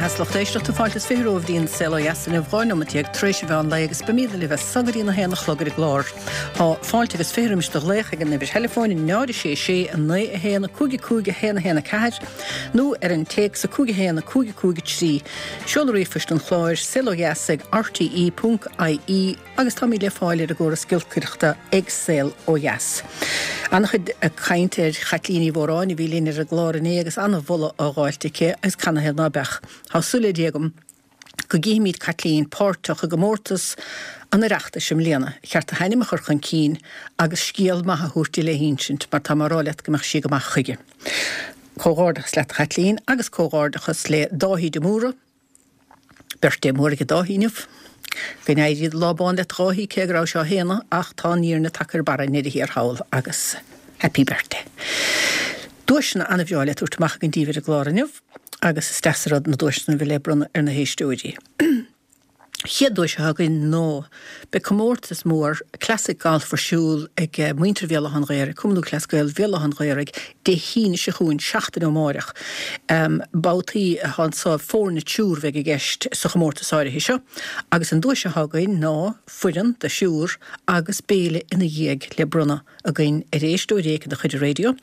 Dheas lucht éisteachta, fáilte is 20 romhaibh dtí'n Saol Ó Dheas inniu, 12 neomat tar éis an mheán lae agus beimíd libh as so go dtí na haon a chlog ar an gclár. Tá fáilte agus 20 roimis do ghlaoch ag an uimhir theileafóin 0 6 6 9 1 5 5 1 1 4 nó ar an téacs 5 1 5 5 3. Seoladh ríomhphoist an chláir, saolodheas ag rte.ie. Agus táimid le fáil ar an gcóras giolcaireachta ag Saol Ó Dheas. An-chuid caint ar Chaitlín Ní Mhóráin a bhí linn ar an gclár inné agus an-mholadh á dháilt aici agus canathaobh ná beadh. Tá súil le Dia agam go gcífimid Caitlín páirteach i gcomórtas an Oireachtais i mbliana. Cheart a hainm a chur chun cinn agus scéal maith a thabhairt di le hinsint mar tá mé a rá leat go mbeadh sí go maith chuige. Comhghairdeachas leat a Chaitlín agus comhghairdeachas le Dáithí de Mórdha, Birthday mór ag Dáithí inniu. Go n-éirí do lá bán leat a Dháithí, cé go raibh sé á shéanadh ach tá an fhírinne tagtha ar barra i ndeireadh thiar thall agus Happy Birthday. Duaiseanna an-bhreá le tabhairt amach againn daoibh ar an gclár inniu agus is deas an rud na duaiseanna a bheith le bronnadh ar na héisteoirí. Chéad duais atá againn ná beidh comórtas mór Classic Golf ar siúl ag muintir Bhéal Átha an Ghaorthaidh, Cumann Lúthchleas Gael Bhéal Átha an Ghaorthaidh, Dé hAoine seo chugainn, seachtain ó amáireach. Babhtaí atá anso, foirne triúr a bheidh i gceist sa chomórtas áirithe seo agus an duais atá againn ná foireann de thriúr agus béile ina dhiaidh le bronnadh againn ar éisteoir éicint de chuid an raidió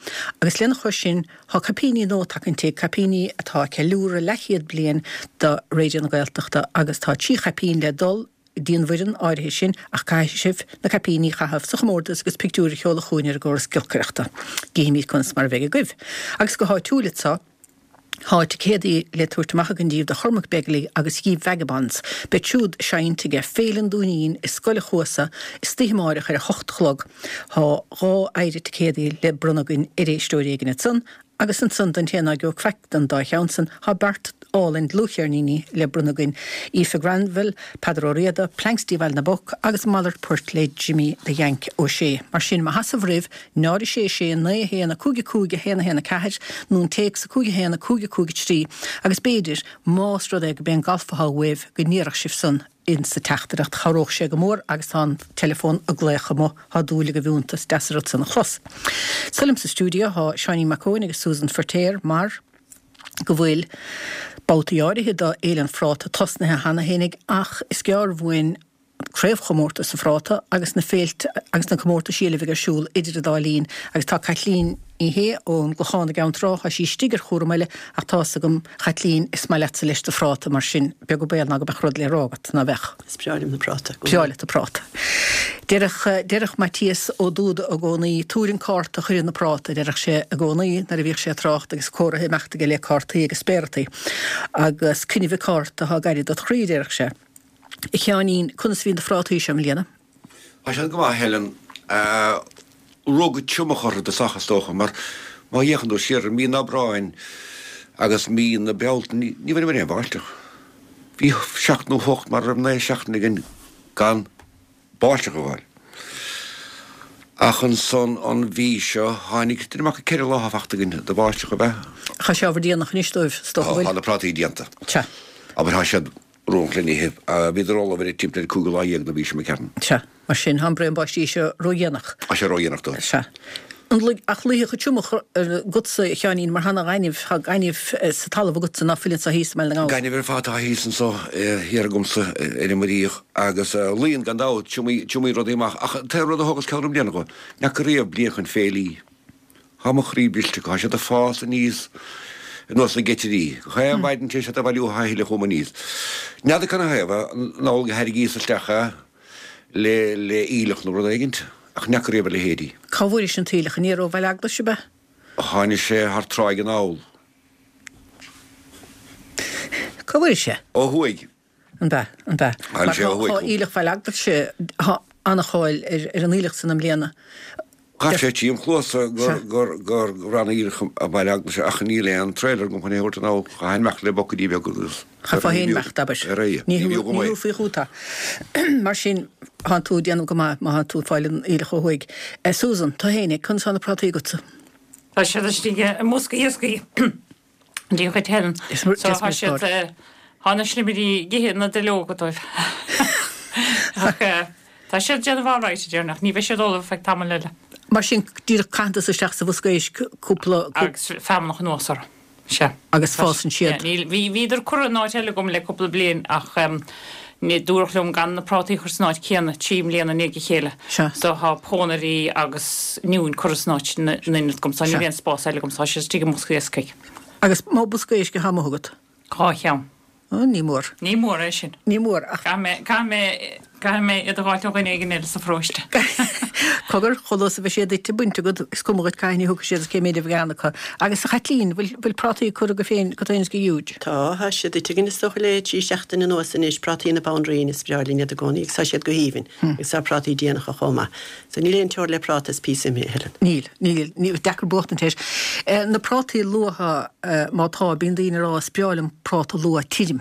agus lena chois sin Tá caipíní nua tagtha inti, caipíní atá ag ceiliúradh leathchéad bliain de Raidió na Gaeltachta agus tá 3 chaipín le dul dtí an bhfoireann áirithe sin ach caithfidh sibh na caipíní a chaitheamh sa chomórtas agus pictiúir a sheoladh chugainn ar an gcóras giolcaireachta. Gcífimid conas mar a bheidh agaibh. Agus go háitiúil anso, tá ticéadaí le tabhairt amach againn daoibh do Chormac Begley agus Ye Vagabonds. Beid siúd ag seinnt ag Féile an Dúinín i Scoil a' Chuasa istoíche amáireach ar a hocht a chlog. Tá 2 oidhre ticéadaí le bronnadh againn ar éisteoir éigin ansan, agus ansan don té ná gheobhadh faic den dá cheann san, tá beart álainn dlúthcheirníní le bronnadh againn, Aoife Granville, Peadar Ó Riada, Planxty Bhaile na bPoc agus Malairt Poirt le Jimmy the Yank Ó Sé. Mar sin, má sheasamh roimh 0 6 6 9 1 5 5 1 1 4 nó an téacs 5 1 5 5 3 agus b'fhéidir, más rud é go b'é an galf atá uaibh, go ndéarfadh sibh san, in sa teachtaireacht. Chabhródh sé go mór agus tá an teileafón ag glaoch amuigh, tá dúil agaibh iontu, is deas an rud san a chlos. So liom sa stiúideo tá Seáinín Mac Eoin agus Susan Feirtéar mar go bhfuil babhtaí áirithe do Fhéile an Phráta tosnaithe cheana fhéinig ach is gearr uainn Craobhchomórtas an Phráta agus na féilte agus na comórtaisí eile a bheidh ar siúl idir an dá linn agus tá Caitlín Ní Shé ón gClochán i gCeann Trá, tá sí istigh ar chúram eile ach tá's agam, a Chaitlín, is maith leatsa leis do phráta, mar sin, beag an baol ná go mbeadh rud le rá agat, ná beadh? Is breá liom na práta. Breá leat an práta. Deireadh, deireadh Maitias Ó Dúda i gcónaí, tabhair an cárta chuir na práta, a deireadh sé i gcónaí nuair a bhíodh sé ag trácht agus comhartha ag imeacht aige le cártaí agus spéarataí. Agus coinnibh an cárta atá gaire dot chroí, a deireadh sé. A Sheáinín, conas a bhí na phrátaí seo i mbliana? Tá siad go maith, a Helen. Rug triomach orthu i dtosach, is dócha, mar má fhéachann tú siar ar mí an Aibreáin agus mí na Bealtaine, ní bhfuaireamar aon bháisteach. Bhí seacht nó hocht, mar a raibh 9 seachtaine againn gan báisteach a fháil. Ach ansan an mhí seo tháinig, déanaim amach 4 lá atá fachta againn de bháisteach, ab ea? Tá sé ábhar déanach anois dóibh, is dócha, bhfuil? Tá na prátaí déanta. Sea. Abair, tá siad. Róghloinithe. Bhíodar ullamh ar timpeall ar an cúigiú lá dhéag de mhí seo ceapaim. Sea. Mar sin, tá an braon báistí seo ródhéanach. Tá sé ródhéanach dóibh. Sea. An luigh, ach luífeadh an triomach agatsa, a Sheáinín, mar tá an gaineamh, tá gaineamh sa talamh agatsa ná fuil anso thíos i mBaile na nGall. Gaineamh ar fad atá thíos anso thiar agamsa ar an Muiríoch agus luíonn gan dabht, triomaíonn rudaí amach. Ach an t-aon rud a thógas ceann i mbliana dho, n'fheaca riamh bliain chun féilí. Tá mo chroí briste acu, tá siad ag fás aníos ar nós na geitirí. Gach aon mhaidin téann siad a bhailiú a thuilleadh chugam aníos. N'fheadar canathaobh, an amhlaidh a thairringíos isteach é le le aoileach nó rud éigint, ach n'fheaca riamh a leithéidí. Cá bhfuairis an t-aoileach? Aniar ó Bhaile Eaglais, ab ea? Tháinig sé thar tráigh anall. Cá bhfuairis é? Ó thuaidh. An b'ea? An b'ea? Mar tá aoileach Bhaile Eaglais, tá an-cháil ar an aoileach san i mbliana. Ghabh sé tríom chluasa gur gur roghnaíodh aoileach Bhaile Eaglais ach níl aon trailer agam chun é a thabhairt anall. Chaithfinn imeacht le bucaidí beaga agus. Chaithfeá féin imeacht, abair. Ar aghaidh. Ní thabharfaí chugat é. Mar sin, thánn tú ag déanamh go maith má thánn tú ag fáil an aoileach ó thuaidh. Susan, tú fhéinig, conas tá na prátaí agatsa? Tá siad istigh i mbosca iascaigh. Dia dhuit Helen. So tá siad, tá na slimirí ag ithe na duilleoga dóibh. Ach tá siad ag déanamh alright a déarfainn ach ní bheidh siad ullamh feadh tamaill eile. Mar sin, díreach caitheann tusa isteach sa bhosca éisc cúpla. Agus feamnach anuas orthu. Sea. Agus fásann siad. Níl, bhí, bhíodar curtha in áit eile agam le cúpla bliain ach ní, dúradh liom gan na prátaí a chur san áit céanna 3 mbliana i ndiaidh a chéile. Sea. So tá pónairí agus oinniúin curtha san áit ina ionad agam so níl aon spás eile agam so tá siad istigh i mbosca iascaigh. Agus má bosca éisc atá amuigh agat? 2 cheann. Ó, ní mór. Ní mór é sin. Ní mór, ach. Caithfidh mé, caithfidh mé, caithfidh mé iad a dh'fháilt ó dhuine éigin eile sa pharóiste. Cogar, chomh luath is a bheidh siad ite, bainte agat, is cuma dhuit cathain a thiocfaidh siad is cé méid a bheidh ann acu. Agus a Chaitlín, bhfuil, bhfuil prátaí curtha agaibh féin, agat féin is ag Jude? Tá, tá siad ite againn is dócha le 3 seachtaine anuas anois, prátaí na Banríona, is breá linn iad i gcónaí agus tá siad go haoibhinn agus tá prátaí déanacha chomh maith. So níl aon teora le práta is píosa ime, a Helen. Níl, níl, níl, deacair buachtaint air. Na prátaí luatha, má tá, bíonn daoine ag rá is breá liom práta luath tirim,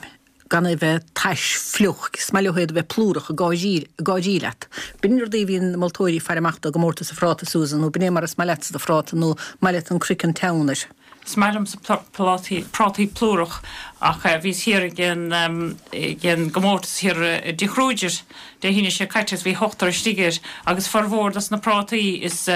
gan é bheith tais, fliuch, is maith leo iad a bheith plúrach, ag gáirí, ag gáirí leat. B'in rudaí a bhíonn na moltóirí ag faire amach dó i gcomórtas an phráta, Susan, nó b'in é mar is maith leatsa do phráta, nó maith leat an craiceann teann air. Is maith liomsa prátaí, prátaí plúrach ach bhíos thiar ag an, ag an gcomórtas thiar i dTigh Kruger Dé hAoine seo caite agus bhí ochtar istigh air agus formhór dos na prátaí is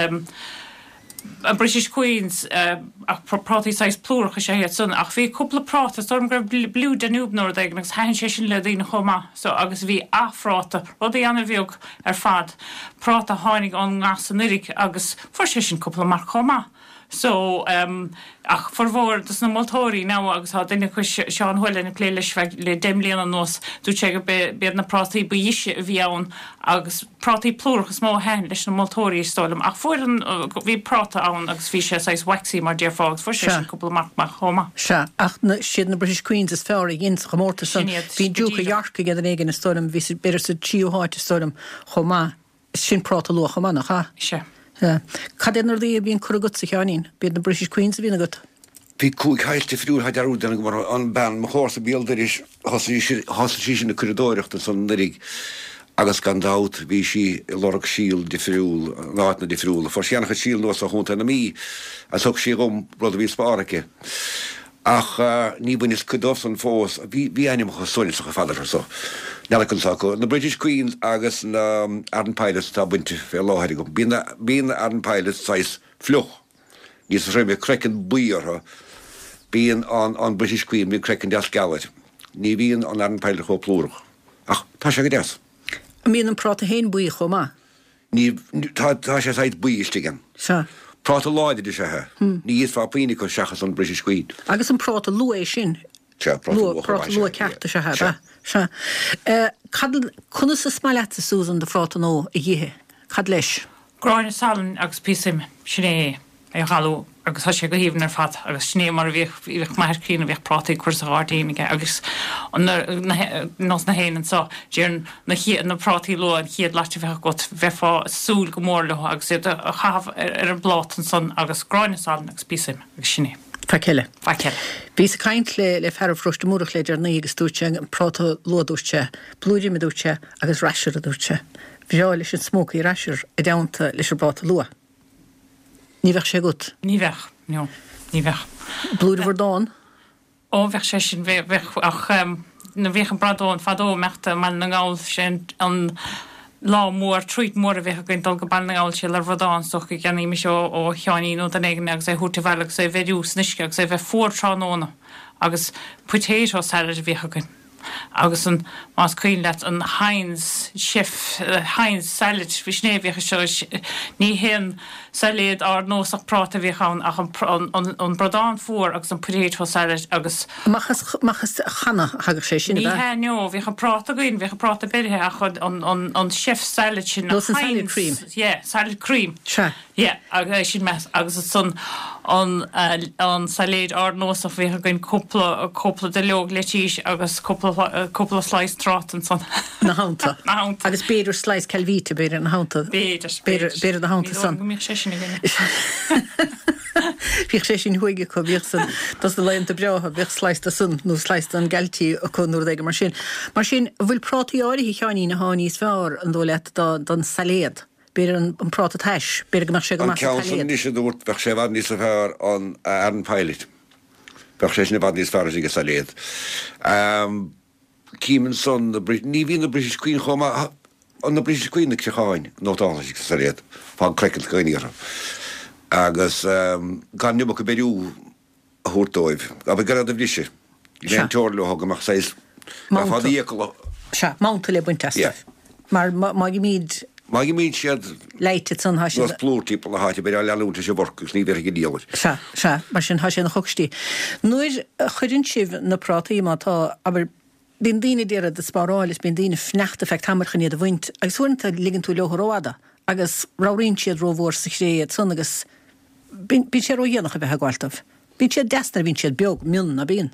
British Queens ach prátaí saghas plúrach is ea iad san ach bhí cúpla práta, is dóigh liom go raibh Blue Danube nó rud éigin agus thaitin sé sin le daoine chomh maith so agus bhí athphráta, rudaí ana-bheag ar fad, práta a tháinig ón ngas anuraidh agus fuair sé sin cúpla marc chomh maith. So, ach formhór dos na moltóirí now agus tá duine acu, Seán Whelan, ag plé leis feadh le 10 mbliana anuas, dúirt sé go b'iad na prátaí ba dheise a bhí ann agus prátaí plúrach is mó a thaitin leis na moltóirí is dóigh liom. Ach fuair an, bhí práta ann agus bhí sé saghas waxy mar déarfá agus fuair sé sin cúpla marc maith chomh maith. Sea, ach na, siad na British Queens is fearr a dhein sa chomórtas san. Sin iad, Bhí go Duke of díreach. York ag duine éigin is dóigh liom, bhí sa, b'fhéidir sa tríú háit is dóigh liom chomh maith. Sin práta luath chomh maith, nach ea? Sea. Sea. Cad iad na rudaí a bhíonn curtha agatsa, a Sheáinín? B'iad na British Queens a bhíonn agat? Bhí 5 shaghas difriúil, tá dearúd déanta agam orthu. An bean, mo chomharsa béal dorais, thosaigh sí, thosaigh sí sin ag curadóireacht ansan anuraidh agus gan dabht bhí sí ag lorg síol difriúil, in áiteanna difriúla. Fuair sí an-chuid síl anuas ó Chontae na Mí agus thug sí dhom rud a bhí spártha aici. Ach ní bhaineas cuid dóibh san fós. Bhí, bhí ainmneacha suaithinseacha ar fad orthu so. N'fheadar conas atá acu. Na British Queens agus na Arran Pilots atá bainte fé láthair agam. Bíonn na, bíonn na Arran Pilots saghas fliuch, níos troime, craiceann buí orthu. Bíonn an, an British Queen, bíonn craiceann deas geal air. Ní bhíonn an Arran Pilot chomh plúrach. Ach tá sé go deas. An mbíonn an práta féin buí chomh maith? Ní, tá, tá sé saghas buí istigh ann. Sea. Práta láidir is ea é. Ní íosfá puinn acu seachas an British Queen. Agus an práta luath é sin? Sea, práta luath chomh maith, Práta luath ceart is ea é, ab ea? Sea. Cad, conas is maith leatsa, Susan, do phráta nua a dh'ithe? Cad leis? Gráinne salainn agus píosa ime, sin é é. é a dhalú agus tá sé go haoibhinn ar fad agus sin é mar a bhíodh, bhíodh m'athair críonna, bhíodh prátaí curtha sa ghairdín aige agus nós na héinne anseo, déarfainn na chéad, na prátaí luath an chéad lait a bheadh agat, bheifeá ag súil go mór leo agus iad a chaitheamh ar an bpláta ansan agus gráinne salainn agus píosa ime agus sin é. Faic eile. Faic eile. Bhíos ag caint le le fear ó Pharóiste Múrach le deireanaí agus dúirt sé an práta luath dúirt sé, blúire ime dúirt sé agus rasher a dúirt sé. Bhreá leis an smoky rasher i dteannta leis an bpráta luath. Ní bheadh sé agat? Ní bheadh, no, ní bheadh. Blúire bhradán? Ó, bheadh sé sin, bheadh, ach nuair a bhíodh an bradán fadó ag imeacht i mBaile na nGall, sé an lá mór, treat mór a bhíodh againn dul go Baile na nGall, sé le bradán is dócha go gceannaímis ó ó Sheáinín nó duine éigin agus é a thabhairt abhaile agus é a bheiriú san uisce agus é a bheith fuar tráthnóna agus potato salad a bhíodh againn. Agus an, más cuimhin leat, an Heinz chef, Heinz salad, bhí sin é a bhíodh anseo, ní haon sailéad ardnósach práta a bhíodh ann ach an, an, an bradán fuar agus an potato salad agus. Amach as, amach as channa a thagadh sé sin, Ní ab ea? hea, no, bhíodh an práta againn, bhíodh an práta beirithe ach an, an, an chef salad sin, Nó an salad cream. Yeah, salad cream. Sea. Yeah, agus sin meas agus ansan an an sailéid ardnósach bhíodh againn cúpla cúpla duilleog leitís agus cúpla cúpla slice tráta ansan. Ina theannta. Ina theannta. Agus b'fhéidir slice Calvita b'fhéidir ina theannta. B'fhéidir, b'fhéidir. B'fhéidir ina theannta Ní dóigh san. liom go mbíodh sé sin againn. Bhíodh sé sin thuaidh acu, bhíodh san dos na laethanta breátha, bhíodh slice de san nó slice den Galtee acu nó rud éigin mar sin. Mar sin, an bhfuil prátaí áirithe, a Sheáinín, atá níos fearr, an dóigh leat, don sailéad? B'fhéidir an práta tais, b'fhéidir go mbeadh sé go An maith sa ceann san tsailéad. anois a dúrt, bheadh sé i bhfad níos fearr an Arran Pilot. Bheadh sé sin i bhfad níos fearr istigh i sailéad. Cím ansan na Brit, ní bhíonn na British Queen chomh maith, an na British Queen na creacháin nótálta istigh sa sailéad, fágann craiceann scoineartha. Agus gan an iomarca beiriú. a thabhairt dóibh, abair gan iad a bhriseadh. Níl aon teora leo go mbeadh saghas, gcaithfeá d'fhiacail a. Sea, manta le baint astu. Yeah. Mar má ghimíd. Má ghimíonn siad. Leáite ansan, tá siad. Nós plúr timpeall na háite, beidh á leanúint leis an bhforc agus ní bhéarfaidh an diabhal air. Sea, sea, mar sin tá sé ina chocstí. Nuair a chuireann sibh na prátaí, má tá, abair, bíonn daoine a d'iarraidh iad a spáráil is bíonn daoine ag fanacht ar feadh tamaill chun iad a bhaint agus uaireanta ligeann tú leo rófhada agus ramhraíonn siad rómhór sa chré ansan agus bíonn sé ródhéanach a bheith ag gabháil dóibh. Bíonn siad deas nuair a bhíonn siad beag, mion, ná bíonn?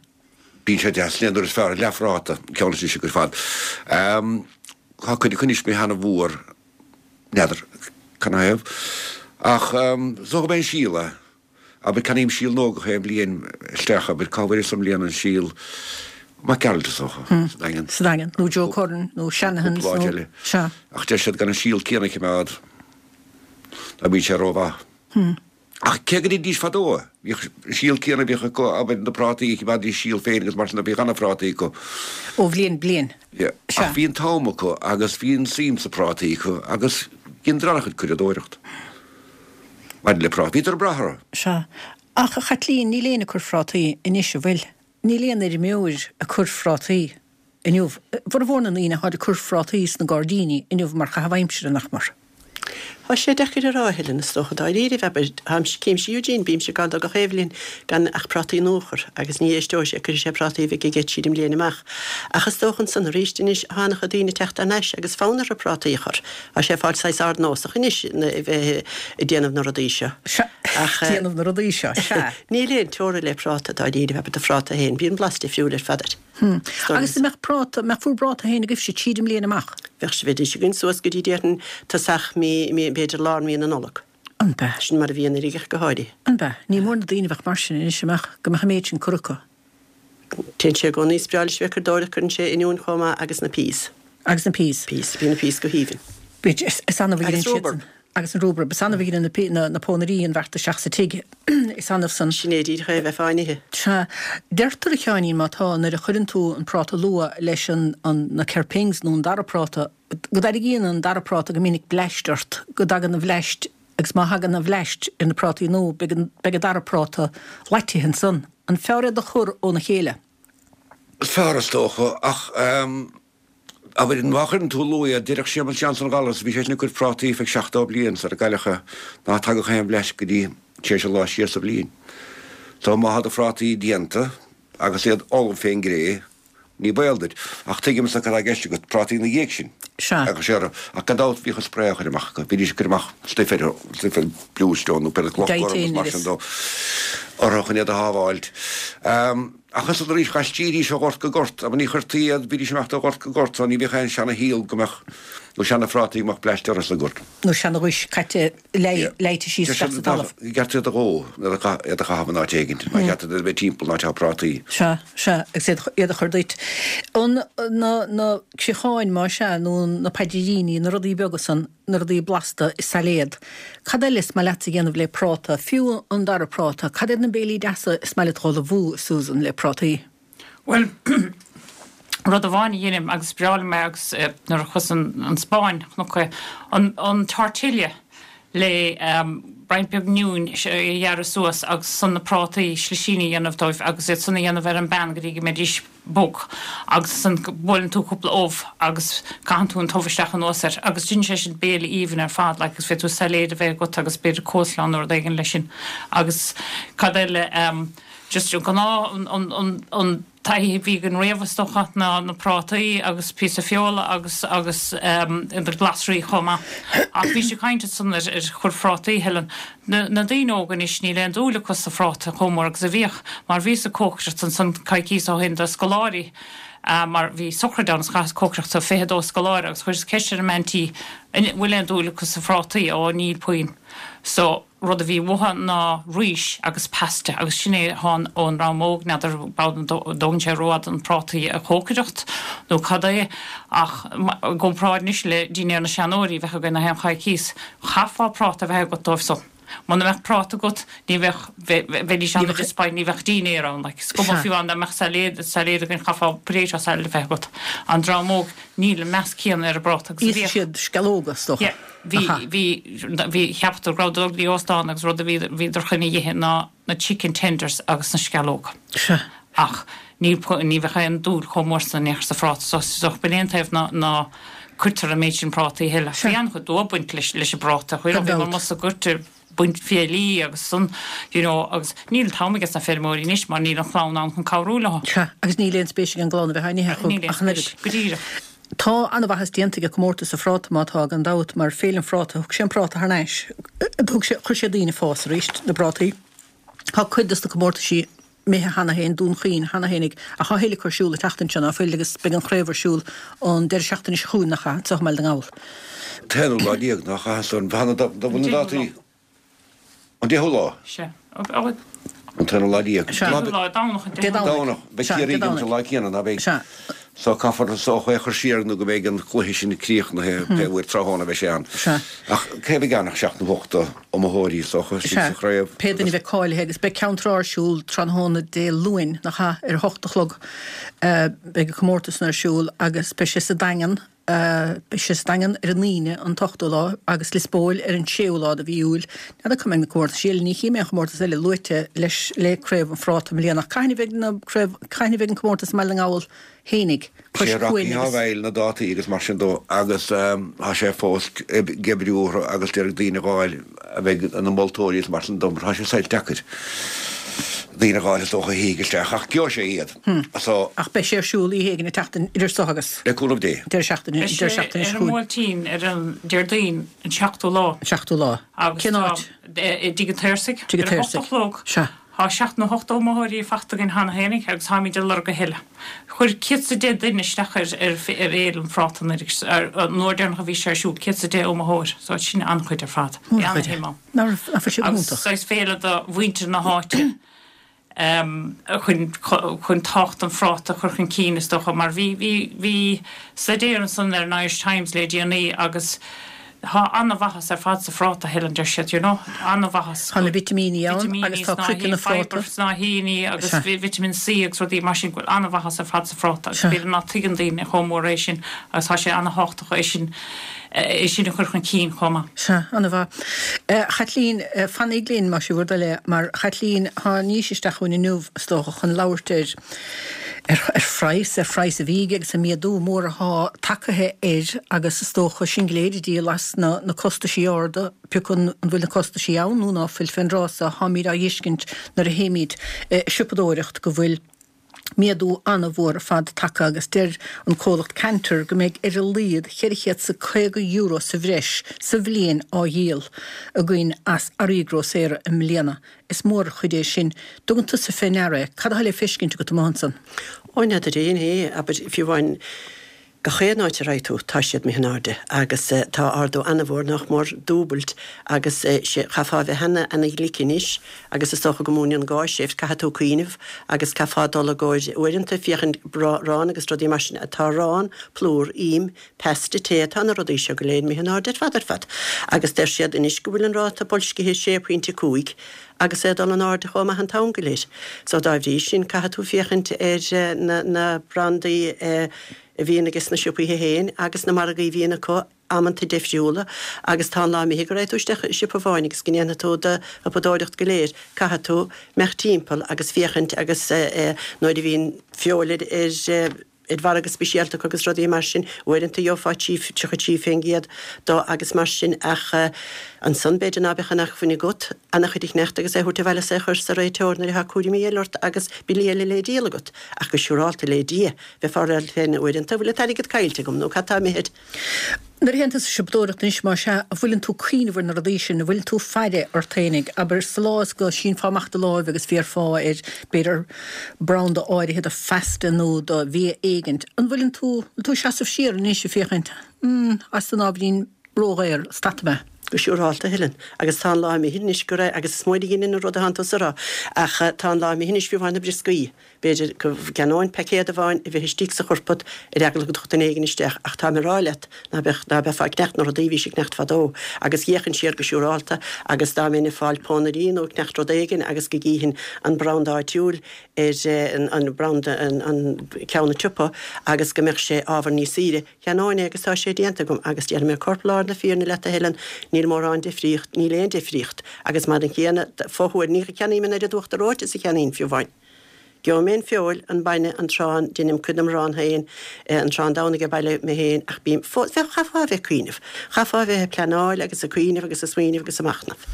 Bíonn sé deas, sin é an uair is fearr, leathphráta, ceann is ise ar fad. Tá cuid acu anois imithe an-mhór, n'fheadar canathaobh, ach is dócha gurb é an síol é. Abair, ceannaím síol nua gach aon bhliain isteach, abair, cá bhfuaireas i mbliana an síol? Mac Gearailt is dócha, sa Daingean. Sa Daingean, nó Joe Curran, nó Shanahan's, nó. Cúpla áit eile. Sea. Ach deir siad gan an síol céanna a choimeád, ná bíonn sé rómhaith. Ach cé go ndeinidís fadó é, bhíodh an síol céanna a bhíodh acu, abair, na prátaí, choimeádaidís síol féin agus mar sin de, bhíodh ana-phrátaí acu. Ó bhliain go bliain. Yeah. Sea. Ach bhí an t-am acu agus bhí an suim sa prátaí acu agus dheineadar an-chuid curadóireacht maidir le prátaí. Bhíodar ag brath orthu. Sea. Ach, a Chaitlín, níl éinne ag cur phrátaí anois, an bhfuil? Níl aon fheirmeoir ag cur phrátaí inniu. Formhór na ndaoine atáid ag cur phrátaí sna gairdíní inniu mar chaitheamh aimsire, nach mar? Tá sé deacair a rá, a Helen, is dócha. Dáiríribh, abair, táimse, címse Eugene, bímse ag gabháil dó gach aon bhliain gan ach prátaí nua a chur, agus ní éisteoidh sé, cuirfidh sé prátaí a bheidh aige siar i mbliain amach. Ach is dócha ansan arís anois, tá an-chuid daoine ag teacht thar n-ais agus fonn orthu prátaí a chur. Tá sé ag fáil saghas ardnósach anois a bheith ag déanamh na rudaí seo. Sea, déanamh na rudaí seo, sea. Níl aon teora le práta, dáiríribh, abair do phráta féin, bíonn blas difriúil ar fad air. Hm. Agus an mbeadh práta, mbeadh bhur bpráta féin agaibhse tríd an mbliain amach? Bheadh sé, bheidís againn suas go dtí déarfainn tosach mí, mí, b'fhéidir lár mí na Nollag. An b'ea? Sin mar a bhí anuraidh ach go háirithe. An b'ea? Ní mór na daoine a bheadh mar sin anois, an mbeadh, go mbeadh an méid sin curtha acu. Téann sé i gcónaí, is breá leis a bheith ag curadóireacht, cuireann sé oinniúin chomh maith agus na peas. Agus na peas. Peas, bíonn na peas go haoibhinn. Bíd, is annamh a Agus dheineann siad rhubarb. san. Agus an rhubarb. Is annamh a dheineann na, na pónairí an bheart isteach sa tigh. Is annamh san. Sin é díreach é a bheifeá in ithe. Sea. Deirtear, a Sheáinín, má tá, nuair a chuireann tú an práta luath leis an, an, na kerpings nó an dara práta, go dtarraingíonn an dara práta go minic bleaist ort, go dtagann an bhleaist, agus má thagann an bhleaist ar na prátaí nua, beidh an, beidh an dara práta leáitithe ansan. An fearr iad a chur óna chéile? Is fearr is dócha, ach abair, má chuireann tú luath iad, déarfadh Séamus Johnson Ghallas, bhí seisean ag cur prátaí feadh 70 bliain sar a cailleadh é, ná tagadh aon bhleaist go dtí tar éis an lá siar sa bhliain. So má thá do phrátaí déanta agus iad ullamh fén gcré, ní baol duit. Ach tuigimse cad tá i gceist agat, prátaí ina dhiaidh sin. Sea. Agus sé orthu. Ach gan dabht bhíodh an spré á chur amach acu, bhídís ag cur amach stuif ar, stuif ar bluestone nó pé cloch gorm agus mar sin dó orthu chun iad a shábháilt. Ach ansan arís dh'aistrídís ó ghort go gort, abair ní chuirtí iad, bhídís ag imeacht ó ghort go gort so ní bhíodh aon seana-shíol go mbeadh, nó seana-phrátaí go mbeadh bleaist orthu sa ghort. Nó seana-ghuais caite leáite síos isteach sa talamh. Ba cheart iad a dhó, nó iad a chaitheamh in áit éigint, nár cheart iad a bheith timpeall an áit atá prátaí. Sea, sea, agus iad, iad a chur duit. An, na, na criocháin más ea, nó na paidríní, na rudaí beaga san, na rudaí blasta i sailéad. Cad eile is maith leatsa a dhéanamh le práta, fiú an dara práta? Cad iad na béilí deasa is maith leat a dh'ullmhú, a Susan, le prátaí? Bhuel, rud amháin a dheinim agus is breá liom é agus nuair a chuas an Spáinn chonac é, an tortilla le roinnt beag oinniúin a ghearradh suas agus ansan na prátaí slisíní a dhéanamh dóibh agus iad san a dhéanamh ar an bpan go dtí go mbeidís bog agus ansan buaileann tú cúpla ubh agus caitheann tú an t-ubh isteach anuas air agus déanann sé sin béile aoibhinn ar fad like agus féadfaidh tú sailéad a bheith agat agus b'fhéidir coleslaw nó rud éigin leis sin agus cad eile ehm just an gnáth an an an an taithí a bhí againn riamh is dócha ná na prátaí agus píosa feola agus agus ehm na glasraí chomh maith ach bhís ag caint ansan ar ar chur phrátaí Helen Na daoine óga anois níl aon dúil acu sa phráta chomh mór agus a bhíodh, mar bhíos ag cócaireacht ansan coicíos ó shin do scoláirí, mar bhí sochraid ann is chaitheas cócaireacht do 22 scoláire agus chuireas ceist ar an mbean tí an bhfuil aon dúil acu sa phrátaí, ó níl puinn. So, rud a bhí uathu ná rís agus pasta agus sin é atá ann ón dream óg, n'fheadar an dtógann sé rófhada an prátaí a chócaireacht nó cad é ach i gcomparáid anois le dinnéar na seanóirí a bheadh againn na haon choicíos, Chaithfeá práta a bheith agat dóibh san. Muna mbeadh práta agat, ní bheadh, bheidís an-disappointed, ní bheadh dinnéar ann, like. Is cuma fiú amháin dá mbeadh sailéad, sailéad againn, chaithfeá potato salad a bheith agat. An dream óg, níl an meas céanna ar an bpráta agus a bhíodh. Íosfaidh siad sceallóga, is dócha. Yeah. Bhí, bhí, bhí, cheapadar go rabhadar ag dul go dtí óstán agus rud a bhí, bhíodar chun a dh'ithe ná na chicken tenders agus na sceallóga. Sea. Ach ní, ní bheadh aon dúil chomh mór san in aon chor sa phráta so, so b'in é an taobh ná, ná cuirtear an méid sin prátaí a thuilleadh. Bhí an-chuid dua ag baint leis, leis an bpráta. Chuir, bhí mar musa goirt ag baint fiailí agus san, you know, agus níl an t-am aige sna feirmeoirí anois mar níl an chlann ann chun cabhrú leo. Sea, agus níl aon spéis ag an gclann a bheith á n-ithe acu Níl aon ach an spéis, oiread. go díreach. Tá an-mhaitheas déanta ag comórtas an phráta má tá, gan dabht, mar Féile an Phráta, thug sé an práta thar n-ais, thug sé, chuir sé daoine ag fás arís, na prátaí. Tá cuid dos na comórtaisí imithe cheana féin, Dún Chaoin cheana féinig, ach tá a thuilleadh acu ar siúl an tseachtain seo, ná fuil, agus beidh an chraobh ar siúl an deireadh seachtaine seo chugainn, nach ea, anseo i mBaile na nGall. An t-aonú lá déag, nach ea, san bhfuil na dátaí. An deichiú lá? Sea. An t-aonú lá déag. Sea. Deichiú lá, Domhnach an Dé deichiú lá. Domhnach. Beidh Sea, Ciarraí Dé ag imirt an Domhnaigh. lá céanna, ná beidh? Sea. So caithfear is dócha é a chur siar nó go mbeidh an cluiche sin críochnaithe, pé uair tráthnóna a bheidh sé ann. Sea. Ach cé a bheidh ann ach seacht nó hocht d'iomaitheoirí is dócha, istigh Sea. sa chraobh Pé duine a agus. bheidh cáilithe agus beidh Ceann Trá ar siúl tráthnóna Dé Luain, nach ea, ar a hocht a chlog. Beidh an comórtas san ar siúl agus beidh sé sa Daingean. Beidh sé sa Daingean ar an Aoine an t-ochtú lá agus Lios Póil ar an séú lá de mhí Iúil. N'fheadar cá mbeidh na comórtaisí eile, ní chím aon chomórtas eile luaite leis le Craobh an Phráta i mbliana ach cathain a bheidh na craobh, cathain a bheidh an comórtas i mBaile na nGall fhéinig, cois Sé cuain Rocky agus. á bhfeighil na dátaí agus mar sin dó agus tá sé fós ag oibriú orthu agus d'iarraidh daoine a dh'fháil a bheidh ina moltóirí is mar sin dó mar tá sé saghas deacair daoine a dh'fháil is dócha a shuífidh isteach ach gheobhaidh sé iad. So. Ach beidh sé ar siúl oíche éigin an tseachtain idir seo agus. Le cúnamh Dé. Deireadh seachtaine, Beidh deireadh sé seachtaine ar seo an chugainn. mBuailtín ar an Déardaoin an seachtú lá. An seachtú lá. Agus Cén tá áit? i dTigh an tSaorsaigh. Tigh an Ar a hocht a tSaorsaigh. chlog. Sea. Tá seacht nó hocht d'iomaitheoirí fachta againn cheana féinig agus táimid ag lorg a thuilleadh. Chuir céad 's a deich duine isteach ar ar Fhéile an Phráta anuraidh, an uair deireanach a bhí sé ar siúl, céad 's a deich iomaitheoir, so sin an-chuid ar fad. Bhí Mór-chuid. an-shuim ann. Nach raibh, nach bhfuil sé go Agus hiontach. saghas féile do mhuintir na háite. chun chun tábhacht an phráta a chur chun cinn is dócha mar bhí bhí bhí staidéar ansan ar an Irish Times le déanaí agus tá an-mhaitheas ar fad sa phráta Helen deir siad you know an-mhaitheas Tá na vitimíní ann agus tá craiceann an phráta. fibre snáithíní agus vitamin C agus rudaí mar sin go bhfuil an-mhaitheas ar fad sa phráta agus b'fhéidir ná tuigeann daoine chomh mór é sin agus tá sé an-thábhachtach é sin é sin a chur chun cinn chomh maith. Sea, an-mhaith. A Chaitlín, fanaigí linn, más é bhur dtoil é, mar Chaitlín, thánaís isteach chugainn inniu, is dócha, chun labhairt ar, ar, ar phraghas, ar phraghas an bhídh agus an méadú mór athá tagaithe air agus is dócha sinn go léir ag díol as na, na costaisí arda, pé acu an bhfuil na costaisí ann nó ná fuil fén dtráth so, tháimíd á dh'fheiscint nuair a théimíd ag siopadóireacht go bhfuil, méadú an-mhór ar fad tagtha agus deir an comhlacht Kantar go mbeidh ar a laghad €450 sa bhreis sa bhliain á dhíol againn as earraí grósaera i mbliana. Is mór an chuid é sin. Dtugann tusa fé ndeara é? Cad atá le feiscint agat amuigh ansan? Ó, n'fheadar fhéin é, abair, fiú amháin Gach aon áit a raghaidh tú, tá siad imithe in airde agus tá ardú ana-mhór, nach mór dúbailt agus sé, chaithfeá a bheith ana, ana-ghlic anois agus is dócha go múineann gá seift, caithfidh tú cuimhneamh agus caithfeá dul i gcomhair uaireanta féachaint arán agus rudaí mar sin, tá arán, plúr, im, pasta, tae, tá na rudaí seo go léir imithe in airde ar fad ar fad agus deir siad anois go bhfuil an ráta boilscithe sé pointe 5 agus é ag dul in airde chomh maith an t-am go léir. So dá bhrí sin caithfidh tú féachaint ar na, na brandaí a bhíonn ages na siopaithe féin agus na margaí a bhíonn acu amanta deifriúla agus tá an lá imithe go raghaidh tú isteach i siopa amháin agus go ndéanfaidh tú do shiopadóireacht go léir, caithfidh tú imeacht timpeall agus féachaint agus nuair a bhíonn feoil ar ar ar mhargadh speisialta acu agus rudaí mar sin, uaireanta gheofá 33% dó agus mar sin ach ansan b'fhéidir ná beadh an acmhainn agat ana-chuid a cheannacht agus é a thabhairt abhaile is é a chur sa réiteoir nuair atá cúraimí eile ort agus billí eile le díol agat. Ach go siúrálta le Dia, bheifeá ag rá leat féin uaireanta, bhfuil an t-airgead caillte agam nó cad tá imithe air? Nuair a théann tú ag siopadóireacht anois, más ea, an bhfuileann tú ag cuimhneamh ar na rudaí sin, an bhfuileann tú ag faire ort fhéinig, abair, sa lá is go sínfeá amach do láimh agus bhéarfá ar, b'fhéidir, branda áirithe de phasta nó de bhia éigint, an bhfuileann tú, an bhfuil tú ag seasamh siar anois ag féachaint, hmm, tá san ábhairín ródhaor, stadfaidh mé. Go siúrálta, a Helen. Agus tá an lá imithe anois go raibh, agus is móide a dheineann an rud atánn tusa a rá, ach tá an lá imithe anois fiú amháin na brioscaí. B'fhéidir go gceannóinn paicéad amháin a bheith istigh sa chorpat ar eagla go dtiocfadh duine éigin isteach ach táim ag rá leat ná beadh, ná beifeá ag ceannacht na rudaí a bhís ag ceannacht fadó. Agus d'fhéachfainn siar go siúrálta agus dá mbeinn ag fáil pónairí nó ag ceannacht rud éigin agus go gcífinn an branda áitiúil ar an branda, an ceann an tsiopa agus go mbeadh sé ábhar níos saoire, Cheannóinn é agus tá sé déanta agam agus déarfaidh mé corplár na fírinne leat a Helen, níl mórán difríocht, níl aon difríocht, agus mar an chéanna, fothuair, ní cheannaím an oiread uachtar reoite is a cheannaínn fiú amháin. Gheobhaidh mé an feoil, an bainne, an t-arán, deinim cuid den arán féin, an t-arán Domhnaigh ag baile mé féin ach bím fós, bheadh, chaithfeá a bheith ag cuimhneamh, chaithfeá a bheith ag pleanáil agus ag cuimhneamh agus ag smaoineamh agus ag machnamh.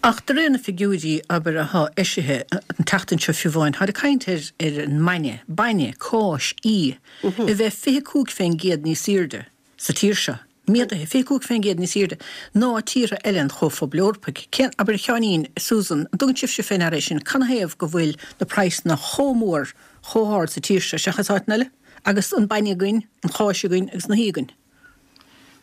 Ach de réir na figiúirí, abair, atá eisithe an tseachtain seo fiú amháin, táid ag caint ar ar an mbainne, bainne, cáis, í, a bheith 25% níos airde sa tír seo, méadaithe 25% níos airde ná tíortha eile an Chomhphobail Eorpaigh. Cén, abair a Sheáinín, Susan, an dtugann sibhse fé ndeara é sin, canathaobh go bhfuil na praghsanna chomh mór, chomh hard sa tír seo seachas áiteanna eile? Agus an bainne againn, an cháis againn agus na hí againn.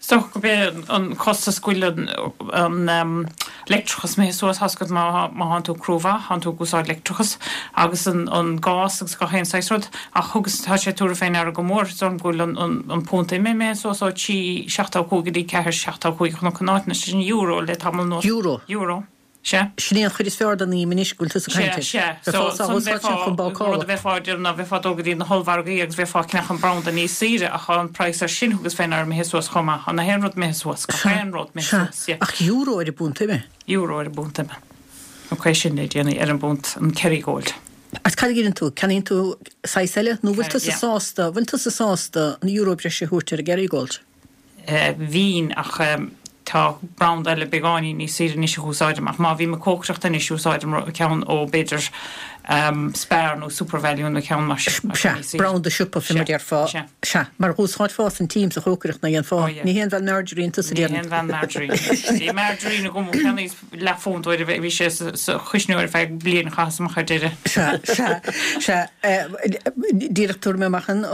Is dócha gurb é an costas go bhfuil an leictreachas imithe suas, tá's agat má thánn tú ag cruach mhaith, thánn tú ag úsáid leictreachas agus an gás agus gach aon saghas rud ach thugas, tá sé tabhartha fé ndeara go mór, is dóigh liom go bhfuil an punt ime imithe suas ó 3.75 go dtí 4.75 chonac in áiteanna, sin euro le tamall anuas. Euro. Euro. Sea. Sin é an chuid is fearr den im anois go bhfuil tusa ag caint air. Sea, sea. So, san bheifeá, rud a bheifeá ag déanamh ná bheifeá ag dul go dtí na hollmhargaí agus bheifeá ag ceannach an branda níos saoire ach tá an praghas ar sin thugas fé ndeara imithe suas chomh maith. Tá na haon rud imithe suas, gach aon rud imithe suas, yeah. Ach euro ar an bpunt ime? Euro ar an bpunt ime. Ok, sin le déanaí ar an bpunt, an Kerrygold. Agus cad a dheineann tú? Ceannaíonn tú saghas eile nó bhfuil tusa sásta, bhfuil tusa sásta an euro breise a thabhairt ar an gKerrygold? Bhínn, ach tá branda eile beagáinín níos saoire anois a úsáidim. Ach má bhím ag cócaireacht anois, úsáidim ceann ó b'fhéidir Spar nó Supervalu nó ceann mar sin. Sea, branda siopa fé mar déarfá. Sea. Sea, mar dh'úsáidfeá an t-im sa chócaireacht, ná dhéanfá? Ní haon bhean margarine tusa, déarfainn. Ní haon bhean margarine. Bhí margarine agam ó cheannaíos leathphunt uair a bhí sé sa chuisneoir ar feadh bliain, chaitheas amach ar deireadh. Sea, sea, sea. Díreach tabharfaidh mé amach an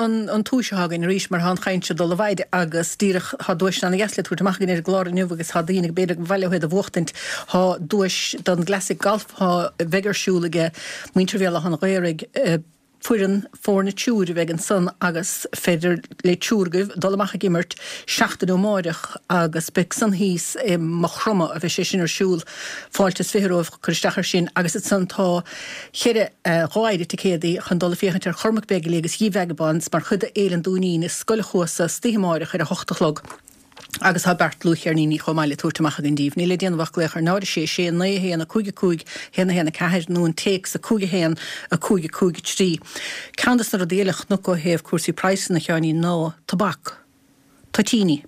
tomhais atá againn arís mar tá an chaint seo ag dul i bhfaid agus díreach tá duaiseanna ana-dheas le tabhairt amach againn ar an gclár inniu agus tá daoine b'fhéidir gur mhaith leo iad a bhuachtaint. Tá duais don gClassic Golf a bheidh ar siúl aige muintir Bhéal Átha an Ghaorthaidh, Foireann, foirne triúir a bheidh ansan agus féidir le triúr agaibh dul amach ag imirt seachtain ó amáireach agus beidh san thíos i Maigh Chromtha a bheidh sé sin ar siúl. Fáilte is 20 romhaibh cur isteach ar sin agus ansan tá cheithre, dháire ticéadaí chun dul ag féachaint ar Chormac Begley agus Ye Vagabonds mar chuid de Fhéile an Dúinín i Scoil an Chuasa istoíche amáireach ar a hocht a chlog. Agus tá beart dlúthcheirníní chomh maith le tabhairt amach againn díbh. Níl le déanamh ach glaoch ar 0 6 6 9 1 5 5 1 1 4 nó an téacs 5 1 5 5 3. Ceann des na rudaí eile a chonac ó thaobh cúrsaí praghsanna, a Sheáinín, ná tobac. Toitíní.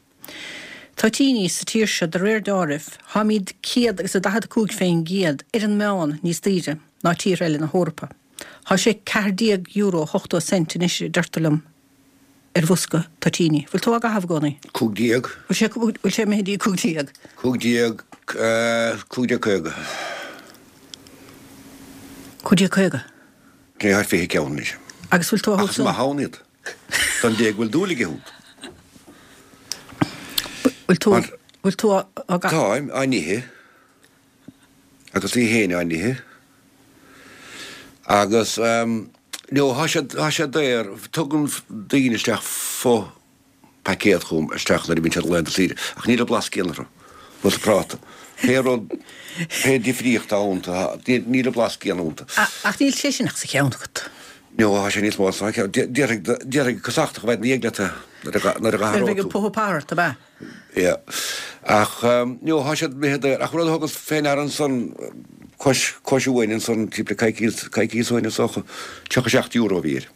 Toitíní sa tír seo, de réir deáraimh, táimíd 100 agus a 45 fén gcéad ar an meán níos daoire ná tíortha eile na hEorpa. Tá sé €14 80 cent anois, a deirtear liom. ar bhosca toitíní. Bhfuil tú á gcaitheamh i gcónaí? 15. Bhfuil sé, bhfuil sé imithe dtí 15? 15, 15.50. 15.50? Ní thar 20 ceann anois. Agus bhfuil tú á Ach is maith ann iad. Don dté go bhfuil dúil aige iontu. Bhfuil tú, bhfuil tú á gcaitheamh? Táim á n-ithe. Agus í fhéin á n-ithe. Agus no, thá sé, thá sé daor, tugann daoine isteach fo-phaicéad chugam isteach nuair a bhíonn siad laethanta saoire, ach níl an blas céanna orthu, nós an práta. Pé rud, pé difríocht atá iontu, níl an blas céanna iontu. Ach níl sé sin ach sa cheann agat. No, thá sé níos mó sa cheann. Déarfaidh, déarfaidh casachtach a bheidh ina dhiaidh leat nuair a, nuair a Nuair a bheidh an puth par ort, ab ea? Yeah. Ach, no, thá siad imithe daor. Ach rud a thugas fé ndeara ansan, cois, cois uainn ansan, timpeall coicíos, coicíos ó shin is dócha, €37 a bhí air.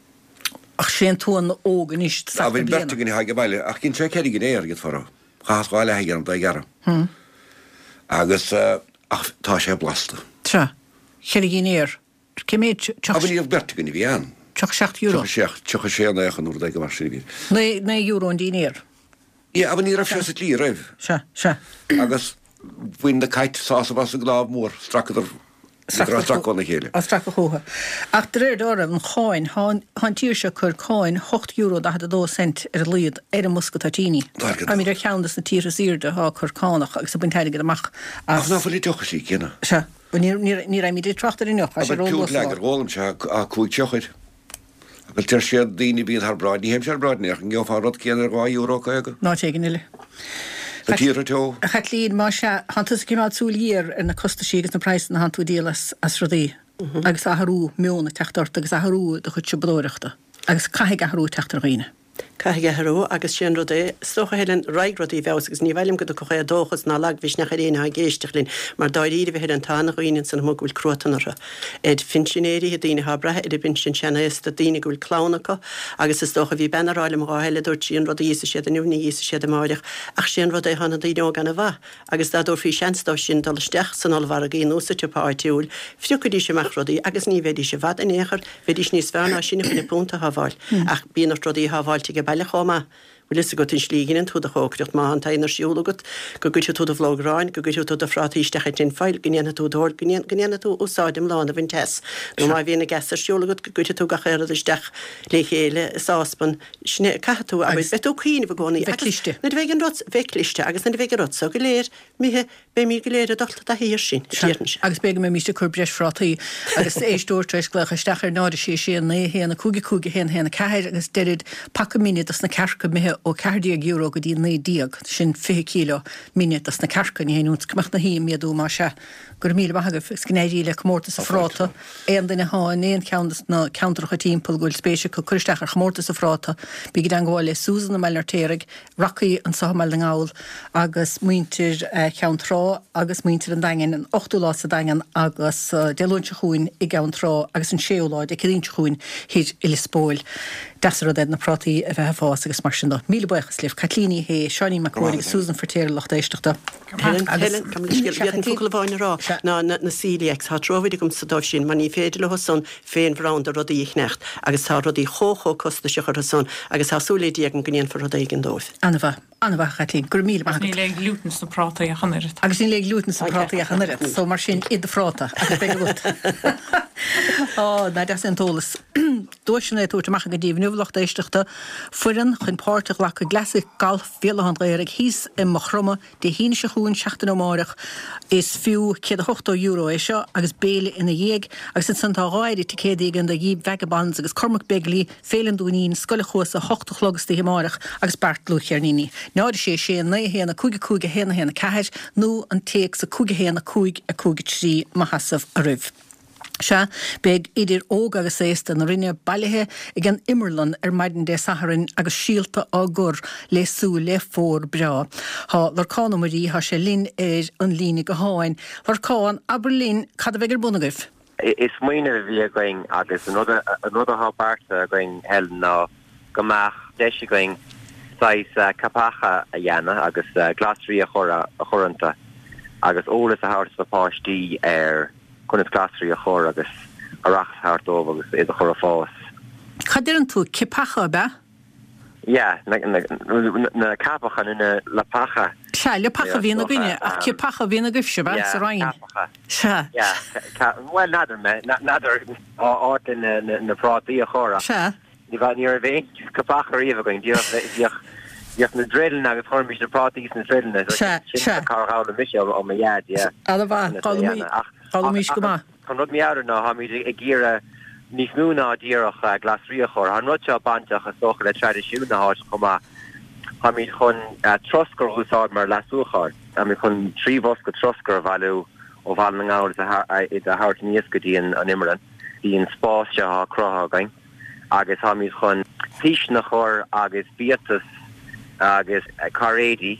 Ach sé an t-uan óg anois, Á, bhí beirt againn a tháinig abhaile, ach dhein sé ceithre dhinnéar, iad fara. Chaitheas dhá leath a dhéanamh dá ghearradh. Agus, ach tá sé blasta. Sea. Ceithre dhinnéar. Cé mhéad? Á, bhuel, ní raibh beirt againn a bhí ann. €37. 37, 36 nó aon rud éigin mar sin a bhí. €9 an dinnéar. Yeah, abair ní raibh sé sa tslí roimh. Sea, sea. Agus bhain na cait sásamh as an gcnámh mór, stracadar. Bhíodar á stracadh óna chéile. Á stracadh chucu. Ach de réir dealraimh, an cháin, tá an tír seo ag cur cáin €8.42 ar a laghad ar an mbosca toitíní. Táimid ar cheann de na tíortha is airde atá ag cur cánach agus ag baint airgead amach as. Ach ná fuil an deoch istigh céanna? Sea. Ní raghaimid ag trácht ar an ndeoch, tá sé Abair róluath púnt sa lá. lager, ólaimse a 5 tiochair. Agus deir siad daoine bíonn thar bráid, ní théimse thar bráid ach an ngeofá an rud céanna ar €2.50? In áit éigin eile. Sa tír teo. A Chaitlín, más ea, thánn tusa ag coimeád súil ghéar ar na costaisí agus na praghsanna a thánn tú ag díol as, as rudaí agus athrú meoin ag teacht ort agus athrú i do chuid siopadóireachta agus caithfidh athrú teacht ar dhaoine. Caithfidh athrú agus sé an rud é, is dócha, Helen, raghaidh rudaí i bhfeabhas agus ní mhaith liom go dtiocfadh éadóchas ná lagmhisneach ar éinne atá ag éisteacht linn mar dáiríribh, a Helen, tá ana-dhaoine ansan amuigh go bhfuil cruatan orthu. Ar phinsinéirí, daoine atá ag brath ar an bpinsean seanaosta, daoine go bhfuil clann acu agus is dócha, bhí bean ag rá liom an lá eile, dúirt sí, an rud a íosfaidh siad inniu ní íosfaidh siad amáireach ach sé an rud é, tá na daoine óga ana-mhaith agus dá dtabharfaí seans dóibh sin dul isteach san ollmhargaí nó sa tsiopa áitiúil, phiocaidís amach rudaí agus ní bheidís i bhfad in aon chor, bheidís níos fearr ná sinne chun an punt a shábháil. Ach bíonn ort rudaí a shábháilt age baile chomh maith. Bhfuil fhios agat an slí a dheineann tú do chócaireacht, má tá an t-oigheann ar siúl agat, go gcuirfidh tú do bhlóg aráin, go gcuirfidh tú do phrátaí isteach i tin foil, go ndéanfaidh tú do, go ndéanfaidh tú úsáid iomlán a bhaint as. Nó má bhíonn an gas ar siúl agat, go gcuirfidh tú gach aon rud isteach le chéile i sáspan. Sin é, caithfidh tú, abair, beidh tú ag cuimhneamh i gcónaí Bheith agus cliste. nuair a bheidh an rud, bheith cliste agus nuair a bheidh an rud so go léir imithe, beimid go léir ag dul i dtaithí air sin, a Sea, déarfainnse. agus b'fhéidir go mbeimíst ag cur breis phrátaí agus éisteoir tar éis glaoch isteach ar 0 6 6 9 1 5 5 1 1 4 agus deirid paca mine dos na cearca imithe ó €14 go dtí 19, sin 20 kilo mine dos na cearca, ní haon iontas go mbeadh na hí ag méadú más ea. Go raibh míle maith agaibh agus go n-éirí le Comórtas an Phráta. Aon duine atá in aon cheann de na ceantracha timpeall go bhfuil spéis acu cur isteach ar Chomórtas an Phráta, bígí i dteangmháil le Susan i mBaile an Fheirtéaraigh, Rocky anseo i mBaile na nGall agus muintir Cheann Trá agus muintir an Daingin, an 8ú lá sa Daingean agus Dé Luain seo chugainn i gCeann Trá agus an 6ú lá Dé Céadaoin seo chugainn thoir i Lios Póil. Deas an rud é na prátaí a bheith ag fás agus mar sin de. Míle buíochas libh, Caitlín Ní Shé, Seáinín Mac Cóil agus Susan Feirtéar lucht éisteachta. Helen, Helen, gabh mo leithscéal, bhí focal amháin a rá, ná na celiacs, tá truamhéil agamsa dóibh sin, mar ní féidir leo san féin mórán de rudaí a cheannacht, agus tá rudaí chomh chomh costasach orthu san, agus tá súil le Dia agam go ndéanfar rud éigin dóibh. An-mhaith, an-mhaith a Chaitlín, go raibh míle maith agat. Agus níl aon ghlútan sna prátaí ach an oiread. Agus níl aon ghlútan sna prátaí ach an oiread, so mar sin, ith do phráta agus beidh agat. Á, nach deas é an t-eolas. Duaiseanna á dtabhairt amach againn daoibh inniu, a lucht éisteachta, foireann chun páirt a ghlacadh i gClassic Golf Bhéal Átha an Ghaorthaidh thíos i Maigh Chromtha Dé hAoine seo chugainn, seachtain ó amárach. Is fiú €180 é seo agus béile ina dhiaidh. Agus ansan tá dháiríre ticéadaí againn do Jíp Vagabonds agus Cormac Begley, Féile an Dúinín, Scoil an Chuasa, 8 a chlog istoíche amárach agus beart dlúthcheirníní. 0 6 6 9 1 5 5 1 1 4 nó an téacs 5 1 5 5 3 mo sheasamh oraibh. Sea, beidh idir óg agus aosta na Rinne bailithe ag an imearlann ar maidin Dé Sathairn agus síolta á gcur le súil le fómhar breá. Tá Lorcán Ó Muirí, tá sé linn ar an líne gutháin. Lorcán, abair linn cad a bheidh ar bun agaibh? Is smaoineamh a bhí againn agus an rud atá beartaithe againn, Helen, ná go mbeadh deis againn saghas ceapacha a dhéanamh agus glasraí a chur iontu agus eolas a thabhairt do pháistí ar conas glasraí a chur agus aireachas a thabhairt dóibh agus iad a chur ag fás. Cad deireann tú, cipeacha ab ea? Yeah, na ceapacha nó na leapacha. Sea, leapacha a bhíonn againne, ach cipeacha a bhíonn agaibhse, ab ea, sa Rinn? Yeah, ceapacha. Sea. Yeah, bhuel, n'fheadar mé, n'fheadar áit le na prátaí a chur ach. Sea. Ní raibh aon ceapacha riamh againn, bhíodh bhíodh na dreileanna agus chuirimis na prátaí sna dreileanna. Sea, sea. Sin cár fhoghlaim mise ó mo dhaid, yeah. An-mhaith, d'fhoghlaimís go maith. An rud meabhrach ná táimid ag iarraidh níos mó ná díreach glasraí a chur. Tá an rud seo bainteach is dócha le traidisiún na háite chomh maith. Táimid chun troscar a úsáid mar leasúchán. Táimid chun 3 bhosca troscair a bhailiú ó Bhaile na nGall is iad a thabhairt aníos go dtí an imearlann, dtí an spás seo atá cruthaithe againn. agus táimid chun píseanna a chur agus biatas agus cairéidí.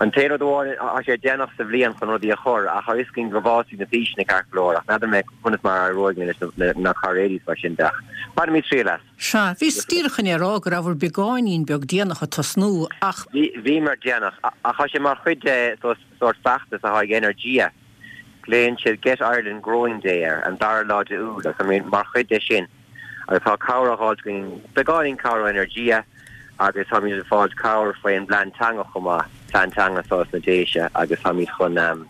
An t-aon rud amháin, tá sé déanach sa bhliain chun rudaí a chur ach tá fhios againn go bhfásfaidh na píseanna ceart go leor ach n'fheadar mé conas mar a éireoidh linn leis na cairéidí is mar sin de ach bainfimid triail as. Sea, bhíos díreach chun é a rá go rabhabhair beagáinín beag déanach ag tosnú ach. Bhíomar déanach ach tá sé mar chuid de sórt feachtas atá ag Energia. Glaonn siad Get Ireland Growing Day air, an dara lá de Iúil, agus táimid mar chuid de sin agus tá cabhair á fháilt againn, beagáinín cabhair ó Energia agus táimid ag fáilt cabhair faoin bplean teanga chomh maith, plean teanga sna Déise agus táimid chun an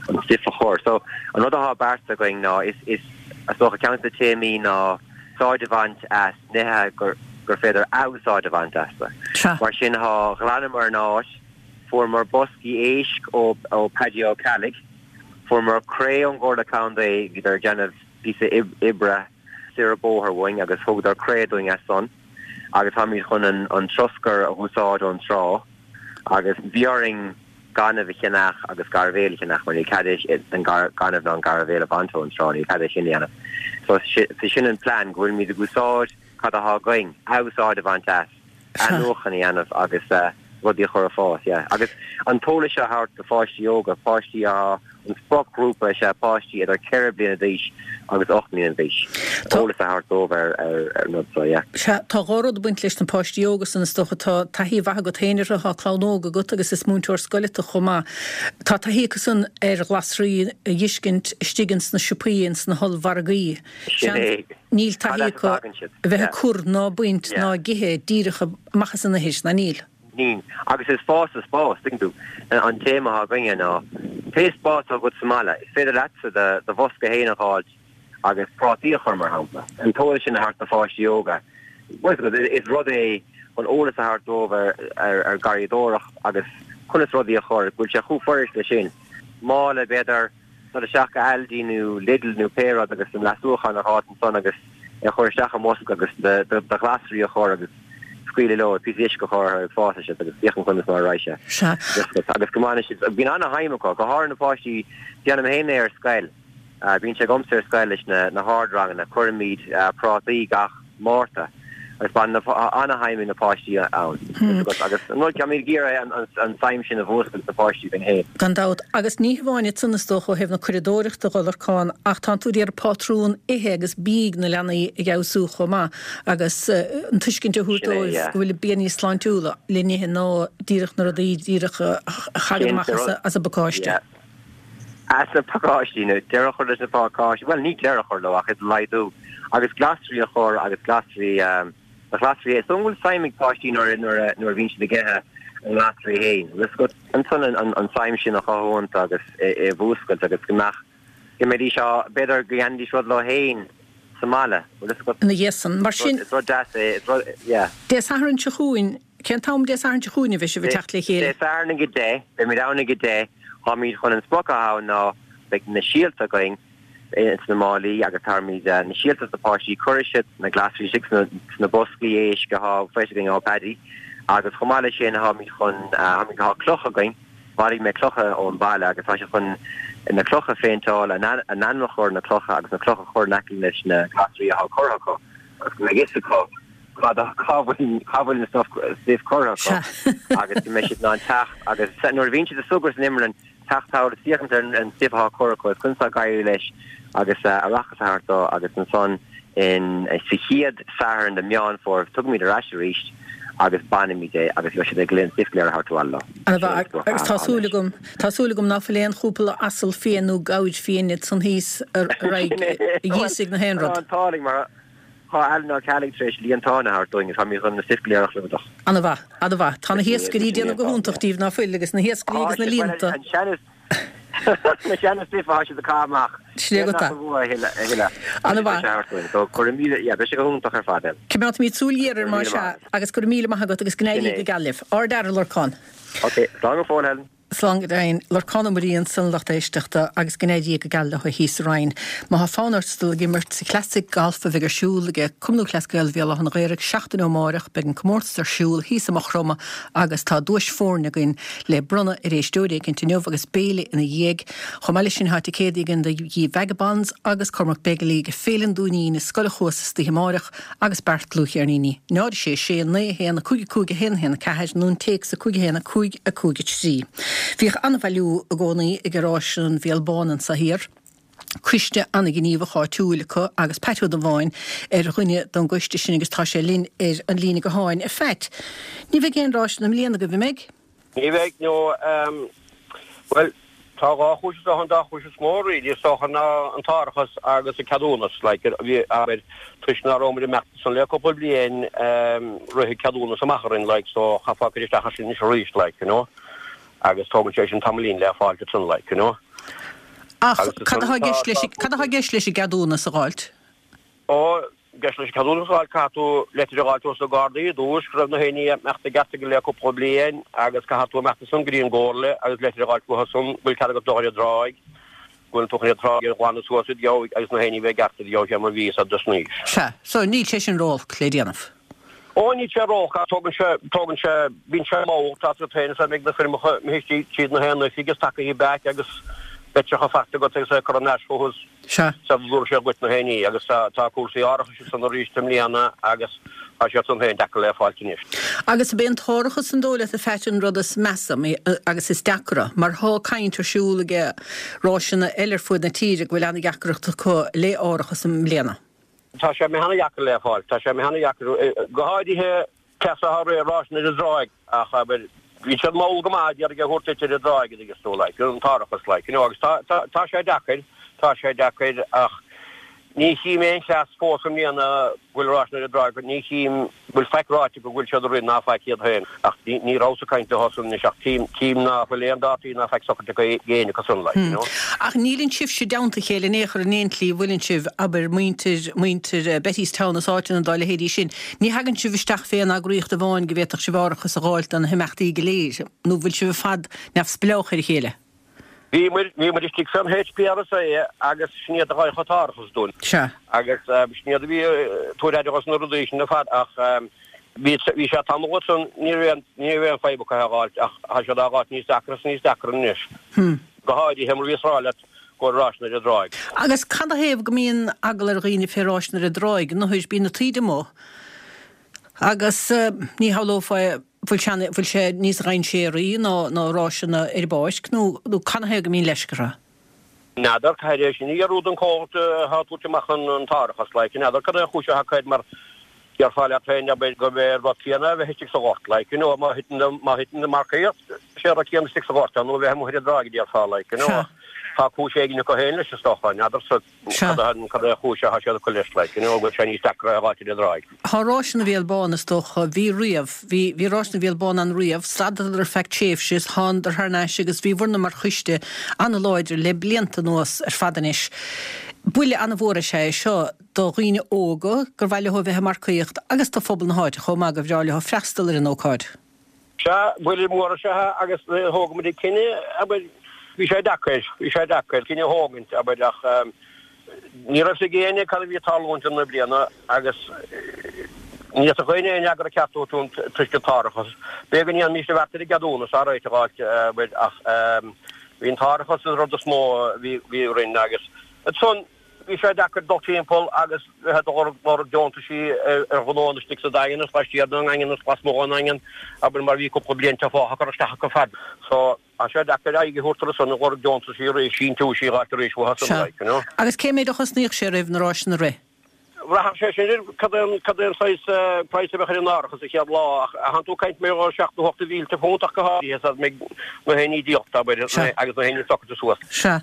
stuif a chur. chur. So an rud athá beartaithe againn ná is is is dócha ceann de na téamaí ná úsáid a bhaint as nithe gur gur féidir athúsáid a bhaint astu. Mar sin thá ghlanamar an áit, fuaireamar boscaí éisc ó ó Paddy Ó Ceallaigh, fuaireamar cré ón gComhairle Contae, bhíodar ag déanamh píosa oibre soir an bóthar uainn agus thugadar cré dúinn as san agus táimid chun an an troscar a dh'úsáid ón trá agus bhí orainn gaineamh a cheannach agus gairbhéal a cheannach mar níl cead an gaineamh ná an gairbhéal a bhaint ón trá, níl cead é sin a dhéanamh. So sin an plean, go bhfuilimid ag úsáid cad athá againn, athúsáid a bhaint as, athnuachan a dhéanamh agus rudaí a chur ag fás, yeah. Agus an t-eolas seo a thabhairt do pháistí óga, páistí athá An spriocghrúpa is ea páistí idir 4 bliana d'aois agus 8 mbliana d'aois. Eolas a thabhairt dóibh ar an rud seo, yeah. Sea, tá dhá rud ag baint leis na páistí óga san is dócha. Tá taithí mhaith agat féin orthu, tá clann óg agat agus is múinteoir scoile tu chomh maith. Tá taithí acu san ar ghlasraí a dh'fheiscint istigh ins na siopaí, ins na hollmhargaí. Sin é. Níl taithí acu a bheith ag cur ná baint ná ag ithe díreach amach as an ithir, ná níl? Níl. Agus is fás sa spás, tuigeann tú. An téama atá againne ná pé spás atá agat sa mbaile, is féidir leatsa do bhosca féin a dh'fháilt agus prátaí a chur, mar shampla. An t-eolas sin a thabhairt do pháistí óga, is rud é chun eolas a thabhairt dóibh ar garraíodóireacht agus conas rudaí a chur, go bhfuil sé chomh fuirist leis sin. Mála, b'fhéidir. dul isteach go Aldi nó Lidl nó pé rud agus an leasúchán a dh'fháilt ansan agus é a chur isteach i mbosca agus do ghlasraí a chur agus scaoileadh leo, píosa uisce a chur orthu agus fásfaidh siad agus féachaint conas mar a raghaidh sé. Sea. Agus go mbainfidh siad, bíonn ana-shuim acu, go háirithe na páistí, déanaim féin é ar scoil, bíonn sé agamsa ar scoil leis na hardranganna, cuirimid prátaí gach Márta agus baineann ana-shuim ag na páistí ann. Agus an rud, táimid ag iarraidh an tsuim sin a mhúscailt sna páistí againn féin. Gan dabht. Agus ní hamháin iad san is dócha ó thaobh na curadóireachta dhe, a Lorcáin, ach tánn tú ag iarraidh pátrún ithe agus bídh na leanaí a fheabhsú chomh maith agus an tuiscint a thabhairt dóibh go bhfuil bia níos sláintiúla le n-ithe ná díreach na rudaí díreach a thagann amach as an bpacáiste. As na pacáistí, nó deireadh a chur leis na pacáistí, bhuel ní deireadh a chur leo ach iad a laghdú, agus glasraí a chur agus glasraí, na glasraí, is dóigh go bhfuil suim ag páistí nuair a nuair a bhíonn siad ag ithe a nglasraí féin, bhfuil a fhios agat? Ansan an tsuim sin a chothú iontu agus é a mhúscailt agus go mbeadh, go mbeidís á, b'fhéidir go ndéanfaidís rud leo féin sa mbaile, bhfuil a fhios agat? Ina dhiaidh san, mar sin. Is rud deas é, is rud, yeah. Dé Sathairn seo chugainn, Cén t-am Dé Sathairn seo chugainn a bheidh sibh ag teacht le chéile? Dé Sathairn ag 10, beimid ann ag 10. Táimid chun an sprioc atá ann ná beidh na síolta againn ins na málaí agus tabharfaimid na síolta dos na páistí, cuirfidh siad na glasraí istigh sna boscaí éisc atá faighte againn ó Paddy agus chomh maith leis sin táimid chun, tá clocha againn, bhailigh mé clocha ón bhaile agus tá siad chun na clocha a phéinteáil, a n-ainm a chur ar na clocha agus na clocha a chur in aice leis na glasraí atá curtha acu agus go mbeidh fhios acu cá bhfuil cá bhfuil na stuif stuif curtha acu agus go mbeidh siad in ann teacht agus nuair a bhíonn siad ag súgradh san imreann teacht thall is féachaint ar an stuif atá curtha acu agus conas atá ag éirí leis agus aireachas a thabhairt dó agus ansan in sa chéad Satharn de Meán Fómhair tugaimid ar ais arís agus bainimid é agus beidh siad ag an stuif go léir a thabhairt abhaile leo. Ana mhaith agus tá súil agam tá súil agam ná fuil aon chúpla asal fiain nó gabhair fiain ansan thíos a raghaidh a dh'íosfaidh na haon rud. Tá an t-ádh linn mar Tá Alan Ó Ceallaigh tar éis líontán a thabhairt dúinn agus táimid chun na stuif go léir a chlúdach. Ana mhaith, ana mhaith. Tá na hiascairí ag déanamh go hiontach díbh, ná fuil, agus na hiascairí agus na líonta. An sean na seana stuif atá siad ag caitheamh amach. Sin é agat é. A thuilleadh. Ana mhaith. So go raibh míle, yeah, beidh sé go hiontach ar fad. Coimeádfaimid súil ghéar air más ea, agus go raibh míle maith agat agus go n-éirí go geal libh. Ard-fhear, a Lorcáin. Ok, slán go fóill, Helen. Slán go deimhin. Lorcán Ó Muirí ansan, a lucht éisteachta, agus go n-éirí go geal leo thíos sa Rinn. Má tá fonn ort dul ag imirt sa Classic Golf a bheidh ar siúl ag Cumann Lúthchleas Gael Bhéal Átha na Ghaorthaidh seachtain ó amáireach, beidh an comórtas ar siúl thíos i Maigh Chromtha agus tá duais foirne againn le bronnadh ar éisteoir éicint inniu agus béile ina dhiaidh. Chomh maith leis sin tá ticéadaí againn do The Vagabonds agus Cormac Begley ag Féile an Dúinín i Scoil an Chuasa istoíche amáireach. agus beart dlúthcheirníní. 0 6 6 9 1 5 5 1 1 4 nó an téacs 5 1 5 5 3. Bhíodh an-bhailiú i gcónaí i nGaráiste an Bhéal Bán anso thiar, coiste an-ghníomhach áitiúil acu agus Pat Ó Dubháin ar dhuine don gcoiste sin agus tá sé linn ar an líne gutháin. A Phat, ní bheidh aon ráiseanna i mbliana agaibh, an mbeidh? Ní bheidh, no, bhuel, tá dhá chúis is dócha, an dá chúis is mó really is dócha ná an t-árachas agus an ceadúnas, like, bhí, abair, toisc nach raibh muid ag imeacht ansan le cúpla bliain, rith an ceadúnas amach orainn, like, so chaithfeá cur isteach air sin anois arís, like, you know, agus tógann sé sin tamaillín le fáilt ansan, like, you know. Ach cad atá i gceist leis, cad atá i gceist leis an gceadúnas a dh'fháilt? Ó, i gceist leis an ceadúnas a dh'fháilt, caithfidh tú leitir a dh'fháilt ós na Gardaí i dtús, go raibh na haon ní imeachta i gceart agat le cúpla bliain agus caithfidh tú imeacht ansan go dtí an gcomhairle agus leitir a dh'fháilt uathu san go bhfuil cead agat dul ar an dtráigh, go bhfuil tú chun an tráigh a ghlanadh suas id gheobhaidh agus na haon ní bheith i gceart id gheobhaidh sé mar bhí fhios a'd anois. Sea, so níl sé sin ró-olc le déanamh. Ó, níl sé ró-olc ach tógann sé, tógann sé, bíonn sé mall, tá tú féin is beidh na foirmeacha imithe istigh tríd na haon oifig is tagaithe back agus litreacha faighte agat agus é curtha thar n-ais chucu Sea. sula dtabharfaidh siad dhuit na haon ní agus tá, tá cúrsaí árachais ansan arís i mbliana agus tá siad san féin deacair le fáilt anois. Agus ab é an t-árachas an dóigh leat a Phat an rud is measa agus is deacra mar thá caint ar siúl aige ráiseanna eile ar fuaid na tíre go bhfuil ana-dheacracht acu le árachas i mbliana. Tá sé imithe ana-dheacair le fáil. Tá sé imithe ana-dheacair, go háirithe cleas atá ré ráiseanna ar an dtráigh ach, abair, bhí siad mall go maith d'iarraidh a thabhairt duit ar an dtráigh an dtuigeann tú, like, an t-árachas, like, you know, agus tá, tá, tá sé deacair, tá sé deacair ach ní chím aon chleas fós i mbliana go bhfuil ráiseanna ar an dtráigh, ní chím go bhfuil faic ráite go bhfuil siad ag rith ná faic iad féin ach ní rabhas ag caint leo san anois ach tchím, tchím ná fuil aon dátaí ná faic socraithe acu ag éinne acu san, like, you know. Ach níleann sibhse i dteannta a chéile in aon chor in aon tslí, bhfuileann sibh, abair, muintir, muintir Bettystown is áiteanna dá leithéidí sin, ní thagann sibh isteach fé aon eagraíocht amháin go bhféadfadh sibh árachas a dh'fháilt do na himeachtaí go léir, nó bhfuil sibh ar fad neamhspleách ar a chéile? Bhí muid, bhí muid istigh fén HPRSA agus sin iad a dh'fhaigheadh an t-árachas dúinn. Sea. Agus sin iad a bhí ag tabhairt aire dhos na rudaí sin ar fad ach bhí, bhí sé tamall ansan, ní raibh aon, ní raibh aon fadhb acu é a dh'fháilt ach tá siad á dh'fháilt níos deacra is níos deacra anois. Go háirithe mar bhíos ag rá leat go bhfuil ráiseanna ar an dtráigh. Agus cad a thaobh go mbíonn eagla ar dhaoine fé ráiseanna ar an dtráigh, nuair bíonn na taoide amuigh agus ní shamhlófá é, bhfuil sé, bhfuil sé níos dhainséaraí ná, ná ráiseanna ar an bpáirc nó, nó cad a thaobh go mbíonn leisce orthu? N'fheadar, caithfidh é sin a fhiafraí den chomhlacht atá ag tabhairt amach an, an t-árachas, like, n'fheadar cad é an chúis atá acu air mar déarfá leat féin, abair, gurb é an rud céanna a bheith istigh sa ghort, like, you know, má thiteann, má thiteann an marcaíocht, is é an rud céanna istigh sa ghort é nó a bheith amuigh ar an dtráigh, a déarfá, like, you know, ach tá cúis éigin acu féin leis, is dócha, n'fheadarsa. Sea. Cad é an chúis atá siad ag cur leis, like, you know, go bhfuil sé níos deacra a dh'fháilt ar an dtráigh. Thá Ráiseanna Bhéal Bán, is dócha, bhí riamh, bhí, bhí Ráiseanna Bhéal Bán ann riamh, stadadar ar feadh tréimhse is thánadar thar n-ais agus bhí bhur-na mar choiste an-láidir le blianta anuas ar fad anois. Buille an-mhór is ea é seo do dhaoine óga gur mhaith leo a bheith ag marcaíocht agus do phobal na háite chomh maith gur bhreá leo freastal ar an ócáid. Sea, buille mór is ea é agus thóg muid an cinneadh, abair, bhí sé deacair, bhí sé deacair cinneadh a thógaint, abair, ach ní raibh 'fhios ag éinne cad a bhí ag tarlúint i mbliana agus ní fhéadfadh éinne aon fhreagra ceart a thabhairt dúinn toisc an t-árachas. B'fhéidir go ndéanfaimis an bheart ar an gceadúnas, alright a dh'fháilt, abair, ach bhí an t-árachas an rud is mó a bhí orainn agus ansan, Bhí sé deacair dul timpeall agus bheith ag lorg deontaisí ar ghnóanna istigh sa Daingean is laistiar den nDaingean is lasmuigh den nDaingean, abair, mar bhí cúpla bliain te fágtha curtha isteach acu fad. So, tá sé deacair aghaidh a thabhairt orthu san ag lorg deontaisí arís, síntiúisí a dh'fháilt arís uathu san, Sea. like, you know. Agus cé méid a chosnaíodh sé oraibh na ráiseanna a rith? Bhraitheadh sé sin ar cad é an, cad é an saghas praghas a bheadh ar an árachas an chéad lá ach thánn tú ag caint mar gheall ar sheacht nó ocht de mhílte punt ach go háirithe sar a mbeidh na haon ní díolta, abair, Sea. agus na haon ní socraithe suas. Sea.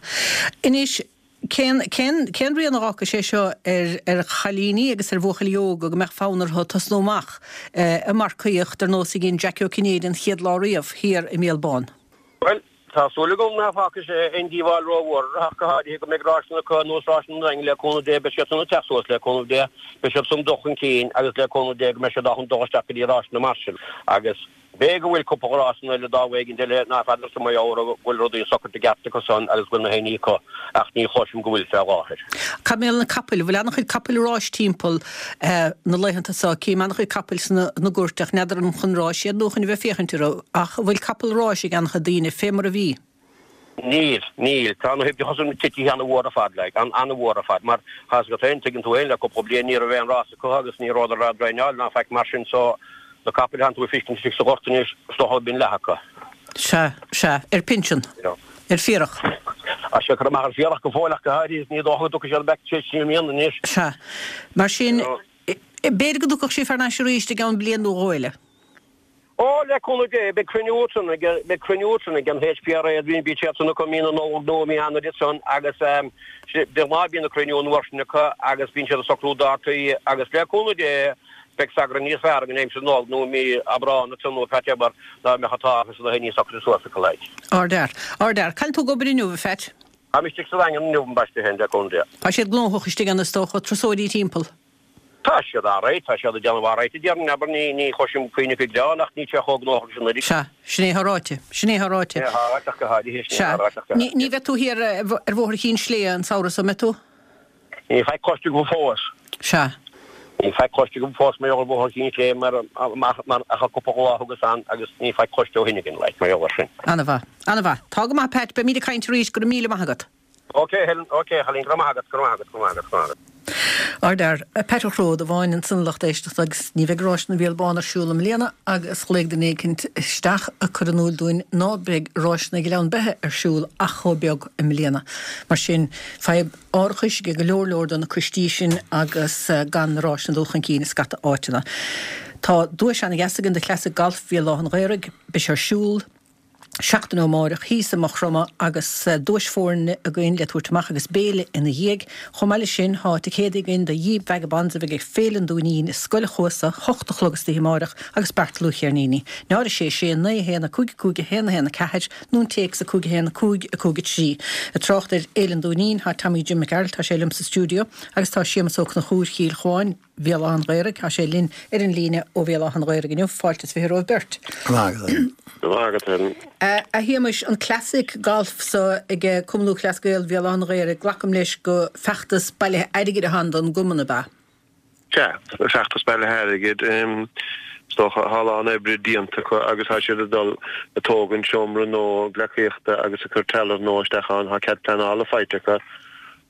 Anois, Cén, cén, cén rian a dh'fhágfaidh sé seo ar, ar chailíní agus ar bhuachaillí óga go mbeadh fonn orthu tosnú amach ag marcaíocht ar nós a dhein Jackie Ó Cinnéide an chéad lá riamh thiar i mBéal Bán? Bhuel, tá súil agam ná fágfaidh sé aon díobháil rómhór orthu ach go háirithe go mbeidh ráiseanna acu ar nós ráiseanna an Daingin le cúnamh Dé, beidh siad san ag teacht suas le cúnamh Dé, beidh siad san ag dul chun cinn agus le cúnamh Dé go mbeidh siad ábalta dul isteach go dtí ráiseanna mar sin agus B'fhéidir go bhfuil cúpla rásanna eile dámh éigint eile ná feadarsa mar gheall go bhfuil rudaí socraithe i gceart acu san agus go bhfuil na haon ní acu ach ní chloisim go bhfuil fé láthair. Cad mar gheall ar na capaill? Bhfuil an-chuid capaill ráis timpeall na laethanta seo? Cím an-chuid capaill sna na goirt ach n'fheadar an chun ráis iad nó chun a bheith féachaint orthu. Ach an bhfuil capall ráis ag an-chuid daoine fé mar a bhí? Níl, níl. Tá na huimhreacha san titithe an-mhór ar fad, like, an-mhór ar fad, mar tá 'fhios agat féin, tuigeann tú féin, le cúpla bliain ní raibh aon rás acu agus ní rabhadar á dtraenáil ná faic mar sin so na capaill a thánn tú ag feiscint istigh sa ghort anois, is dócha bíonn leath acu. Sea, sea, ar pinsean, ar fiarach. Tá siad curtha amach ar fiarach go fóill ach go háirithe is ní dócha go dtiocfaidh siad back tar éis trí mbliana anois. Sea, mar sin, b'fhéidir go dtiocfadh sibh thar n-ais arís i gceann bliain nó dhó eile. Ó, le cúnamh Dé, beidh cruinniú ansan ag, beidh cruinniú ansan ag an HPRA, bíonn, bíonn siad san acu mí na Nollag nó mí Eanáir ansan agus de ghnáth bíonn na cruinniú an uair sin acu agus bíonn siad ag socrú dátaí agus le cúnamh Dé beidh 's againn níos fearr againn aimsir Nollag nó mí Aibreán ansan nó whatever dá mbeadh an t-árachas na haon ní socraithe suas acu like. Ardfhear. Ardfhear. Cá bhfuil tú ag obair inniu, a Phat? Táim istigh sa Daingean inniu, ambaiste féin, le cúnamh Dé. Tá siad gnóthach istigh ann is dócha, turasóirí timpeall. Tá siad alright, tá siad ag déanamh alright a déarfainn, abair, ní, ní chloisim puinn acu ag gearán ach níl sé chomh gnóthach leis anuraidh. Sea, sin é atá ráite, sin é atá ráite. Sin é atá ráite ach go háirithe, sin é Sea. atá ráite ach go Ní, ní háirithe. bheidh tú thiar ar Bhóthar Chinn Sléibhe an samhradh so, an mbeidh tú? Níl faic cloiste agam fós. Sea. Níl faic cloiste agam fós mar gheall ar Bhóthar Chinn Sléibhe mar, mar, mar ach an cúpla lá a thugas ann agus níl faic cloiste ó shin againn, like, mar gheall air sin. Ana-mhaith, ana-mhaith. Tá go maith, Pat, beimid ag caint arís, go raibh míle maith agat. Ok Helen, ok a chailín, go raibh maith agat, go raibh maith agat, go raibh maith agat, go raibh maith agat. Ardfhear, Pat Ó Cródabháin ansan a lucht éisteachta agus ní bheidh Ráiseanna Bhéal Bán ar siúl i mbliana agus ghlaoigh duine éicint isteach ag cur in iúl dúinn ná beidh Ráiseanna Ghleann Beithe ar siúl ach chomh beag i mbliana. Mar sin, fadhb árachais ag go leor leor de na coistí sin agus gan na ráiseanna ag dul chun cinn i scata áiteanna. Tá duais ana-dheas againn do Classic Golf Bhéal Átha an Ghaorthaidh. Beidh sé ar siúl. seachtain ó amáireach thíos i Maigh Chromtha agus duais foirne againn le tabhairt amach agus béile ina dhiaidh. Chomh maith leis sin thá ticéadaí againn do Jíp Vagabonds a bheidh ag Féile an Dúinín i Scoil a' Chuasa, 8 a chlog istoíche amáireach agus Beairtle Ó Ceirníní. 0 6 6 9 1 5 5 1 1 4 nó an téacs 5 1 5 5 3. Ag trácht ar Fhéile an Dúinín thá Tommy Jim Mac Gearailt, tá sé liom sa stiúideo agus tá Séamus Ó Conchúir Chill Chuáin, Bhéal Átha an Ghaorthaidh. Tá sé linn ar an líne ó Bhéal Átha an Ghaorthaidh inniu. Fáilte is 20 romhaibh beirt. Go maith agat, Helen. Go maith agat, Helen. A Shéamais, an Classic Golf so ag Cumann Lúthchleas Gael Bhéal Átha an Ghaorthaidh, glacaim leis go feachtas bailithe airgid atá ann don gcumann, ab ea? Sea, feachtas bailithe airgid. Is dócha, tá a lán oibre déanta acu agus tá siad ag dul ag tógaint seomra nua gleacaíochta agus ag cur trealamh nua isteach ann. Tá cead pleanála faighte acu.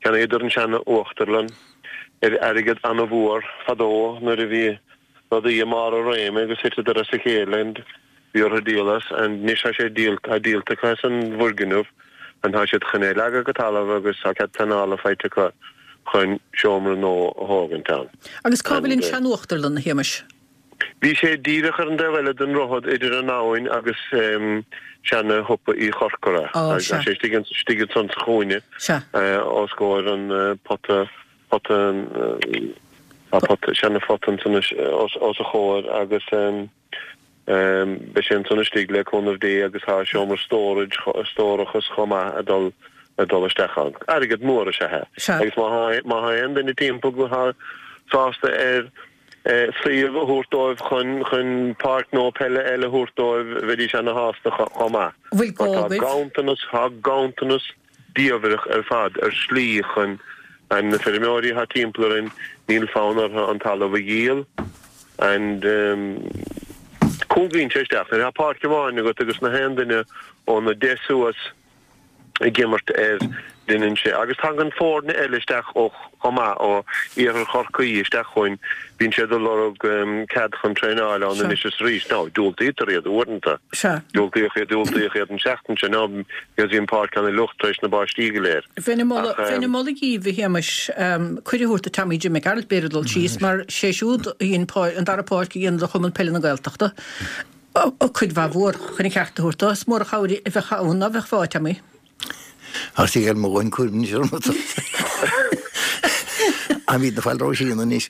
Cheannaíodar an seana-uachtarlann. ar airgead ana-mhór fadó nuair a bhí rudaí i mbarr a réime agus thiteadar as a chéile and bhí orthu díol as and anois tá sé díolta, tá díolta acu as an bhfoirgneamh and tá siad chun é a leagadh go talamh agus tá cead pleanála faighte acu chun seomra nua a thógaint ann. Agus cá bhfuil an sean-uachtarlann, a Shéamais? Bhí sé díreach ar an dtaobh eile den droichead idir an abhainn agus seana-shiopa Uí Chorcora. Tá sé istigh ansan sa chúinne os comhair an pota, pota, tá pota, seana-phota ansan os a chomhair agus beidh sé ansan istigh le cúnamh Dé agus tá seomra storage, stórachas chomh maith ag dul ag dul isteach ann. Airgead mór is ea é. Agus má tá aon duine timpeall atá sásta ar suíomh a thabhairt dóibh chun chun páirc nua peile eile a thabhairt dóibh, bheidís ana-shásta chomh maith. Bhfuil gá Mar tá agaibh? ganntanas, tá ganntanas diamhrach ar fad ar slí chun and na feirmeoirí atá timpeall orainn, níl fonn orthu an talamh a dhíol and cúngaíonn sé isteach. Nuair atá páirc amháin agat agus na haon duine óna 10 suas, ag imirt air, deineann sé. Agus tagann foirne eile isteach ó chomh maith, ó iarthar Chorcaí isteach chugainn, bíonn siad ag lorg cead chun traenáil ann anois is arís. Now, diúltaítear iad uaireanta. Sea. Diúltaíodh iad, diúltaíodh iad an tseachtain seo now because bhí an pháirc ana fhliuch tar éis na báistí go léir. Bheinn ag moladh, bheinn ag moladh dhíbh, a Shéamais, cuireadh a thabhairt do Tommy Jim Mac Gearailt b'fhéidir dul síos mar sé siúd a dhein an dara páirc a dhéanamh do Chumann Peile na Gaeltachta. Cuid mhaith mhór chun a cheart a thabhairt dó. Is mór an chabhair a bheadh ann, ná beadh fáth, Tommy? Tá sí ar mo dhóthain cúraim anois orm. Táimid na fáil Róisín anois.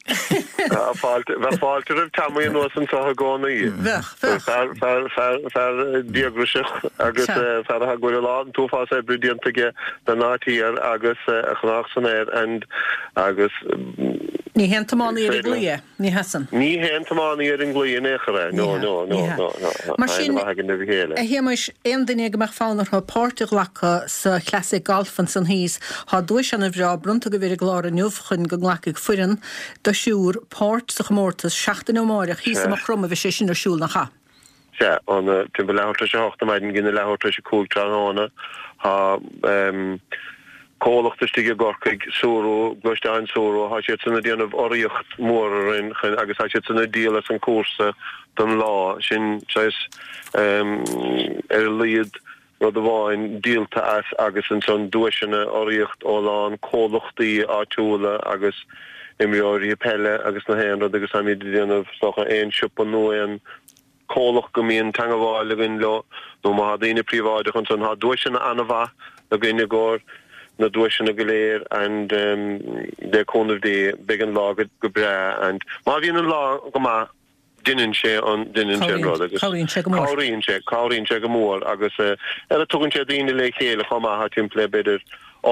Bheadh fáilte roimh Tommy anuas anseo i gcónaí. Bheadh, bheadh. Fear, fear, fear, fear díograiseach agus fear a bhfuil a lán, an t-uafás oibre déanta aige don áit thiar agus a chnách san air and agus. Ní haon tiománaí ar an gclaí é. Ní hea san. Ní haon tiománaí ar an gclaí in aon chor é. No, no, no, no, no. Mar sin, a Shéamais, aon duine go mbeadh fonn orthu páirt a ghlacadh sa Classic Golf ansan thíos, tá duais ana bhreá bronnta agaibh ar an gclár inniu chun go nglacfaidh foireann de thriúr páirt sa chomórtas seachtain ó amáireach thíos i Maigh Chromtha a bheidh sé sin ar siúl, nach ea? Sea, óna timpeall leathuair tar éis a hocht ar maidin go dtí leathuair tar éis a 5 tráthnóna. Tá comhlacht istigh i gCorcaigh, Suru, Gluaisteáin Suru, tá siadsan ag déanamh urraíocht mhór orainn chun agus tá siadsan ag díol as an cúrsa don lá. Sin saghas ar a laghad rud amháin díolta as agus ansan duaiseanna, urraíocht ó a lán comhlachtaí áitiúla agus imreoirí peile agus na haon rud agus táimid ag déanamh is dócha aon siopa nó aon chomhlacht go mbíonn teangabháil againn leo nó má tá daoine príobháideach ansan tá duaiseanna ana-mhaith againn i gcomhair na duaiseanna go léir and le cúnamh Dé beidh an lá go breá and má bhíonn an lá go maith Deineann sé an, deineann sé an rud agus. Cabhraíonn sé go mór. Cabhraíonn sé, cabhraíonn sé go mór agus ar a tugann sé daoine le chéile chomh maith, tá timpeall le b'fhéidir.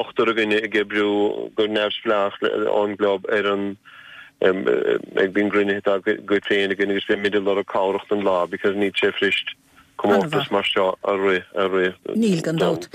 ochtar againne ag oibriú go neamhspleách ón gclub ar an ag bíonn cruinnithe dá gcuid féin againn agus bímid ag lorg cabhrach don lá because níl sé fuirist comórtas mar seo a rith a rith. Níl gan dabht.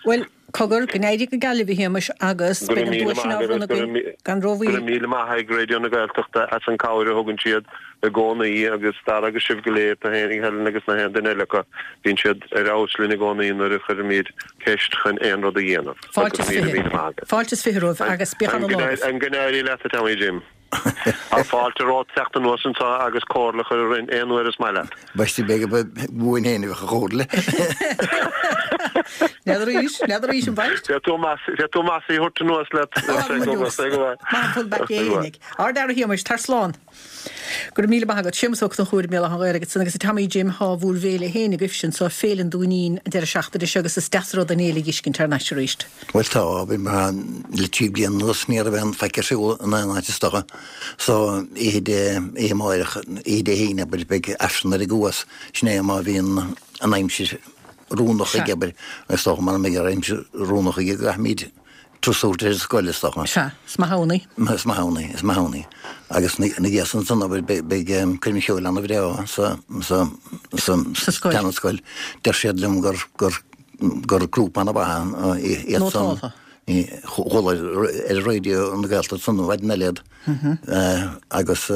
Bhuel, cogar, go n-éirí go geal libh a Shéamais agus Go beidh raibh an míle duais sin maith á agaibh bhronnadh go againn raibh gan go rómhoill. raibh míle maith ag Raidió na Gaeltachta as an cabhair a thugann siad i gcónaí agus Dara agus sibh go léir, tú féin Helen agus na haon duine eile acu, bíonn siad ar fheabhas linn i gcónaí nuair a chuirimid ceist chun aon rud a dhéanamh. So Fáilte go is raibh míle 20. míle maith agaibh. Fáilte is 20 romhaibh agus bíodh An ana lá agaibh. go n-éirí leat a Tommy Jim. Tá fáilte romhat teacht anuas anseo agus comhairle a chur orainn aon uair is maith leat. B'aisteach b'fhéidir ba uainn féin a bheadh an chomhairle. N'fheadar arís, n'fheadar arís an bhfaigheann. Féadfaidh tú féadfaidh tú Mossy a thabhairt anuas leat. Maith an pull back é fhéinig. Ard-fhear a Shéamais, tar slán. Go raibh míle maith agat. Séamus Ó Conchúir i mBéal Átha an Ghaorthaidh ansan agus a Tommy Jim thá bhúr bhféile fhéin agaibhse anso, Féile an Dúinín, an deireadh seachtaine seo agus is deas an rud an fhéile a dh'fheiscint thar n-ais arís. Bhuel tá, bhí mar le trí bliana anuas ní raibh aon faic ar siúl in aon áit is dócha. So oíche Dé, oíche amáireach, oíche Dé hAoine abair, beidh Aifreann ar an gCuas, sin é má bhíonn an aimsir oiriúnach Sea. aige abair, is dócha mara mbeidh an aimsir oiriúnach aige go gcaithfimid turas a thabhairt ar an scoil is dócha. Sea, is maith ann í. Is maith ann í, is maith ann í. Agus ina dhiaidh san ansan abair beidh coirm cheoil ana-bhreá sa, sa, sa, Sa scoil. tseana-scoil. Deir siad liom gur, gur, gur grúpa ana-mhaith iad san. Nótáltha. Chuala ar Raidió na Gaeltachta san mhaidin eile iad agus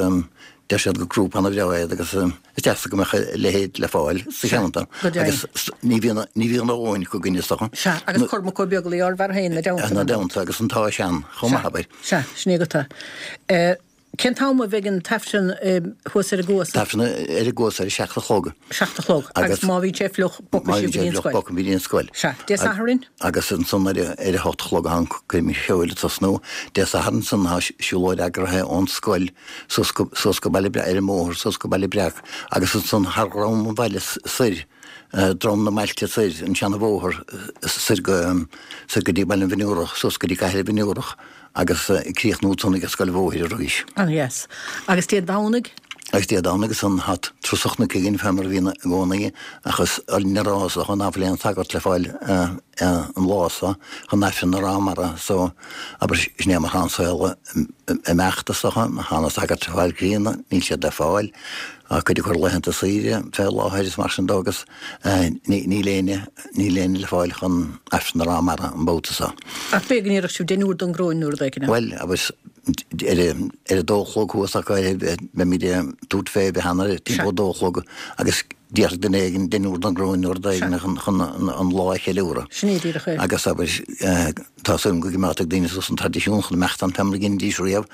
deir siad gur grúpa ana-bhreá iad agus is deas go mbeadh a leithéid le fáil sa cheantar agus ní bhíonn ní bhíonn a dhóthain acu againn is dócha. Sea, agus Cormac Ó Beaglaoi ár bhfear féin ina dteannta. Ina dteannta agus an t-ádh sean chomh maith abair. Sea, sin é agat é. Cén t-am a bheidh an t-aifreann thuas ar an gCuas? T-aifreann ar an gCuas ar a 7 a chlog. 7 a chlog. Agus má bhíonn sé fliuch, bogfaidh sibh go dtí an scoil. Bogfaidh muid go dtí an scoil. Sea. Dé Sathairn? Agus ansan ar a 8 a chlog tá an coirm cheoil ag tosnú. Dé Sathairn ansan tá siúlóid eagraithe ón scoil suas go, suas go Baile Breac, ar an mbóthar suas go Baile Breac agus ansan thar dhrom an bhaile soir, drom na mbailte soir, an seana-bhóthar soir go, soir go dtí Baile an Mhionúrach, suas go dtí Cathair an Mhionúrach. Agus ag críochnú ansan ag an scoil bhóthair arís. An-dheas. Agus Dé Domhnaigh? Agus Dé Domhnaigh ansan tá turas an chnoic againn fé mar a bhíonn i gcónaí ach is orainne a rá is dócha ná fuil aon sagart le fáil an lá so chun Aifreann a rá mara so abair sin é mar tá an saol ag imeacht is dócha tá na sagairt ag fáil críonna níl siad le fáil tá cuid acu ar laethanta saoire fé láthair is mar sin dó agus níl éinne Níl éinne le fáil chun Aifreann a rá mara an babhta so. Ach b'fhéidir go ndéarfadh sibh deichniúr don gcróin nó rud éigin. Bhuel, agus ar a dó a chlog thuas acu beimid ag tabhairt fé bheith ann ar timpeall a dó a chlog agus déarfaidh duine éigin deichniúr don gcróin nó rud éigin chun an lá a cheiliúradh. Sin é díreach é. Agus abair, tá súil agam go gcoimeádfaidh daoine suas an traidisiún chun imeacht ann fé mar a dheinidís riamh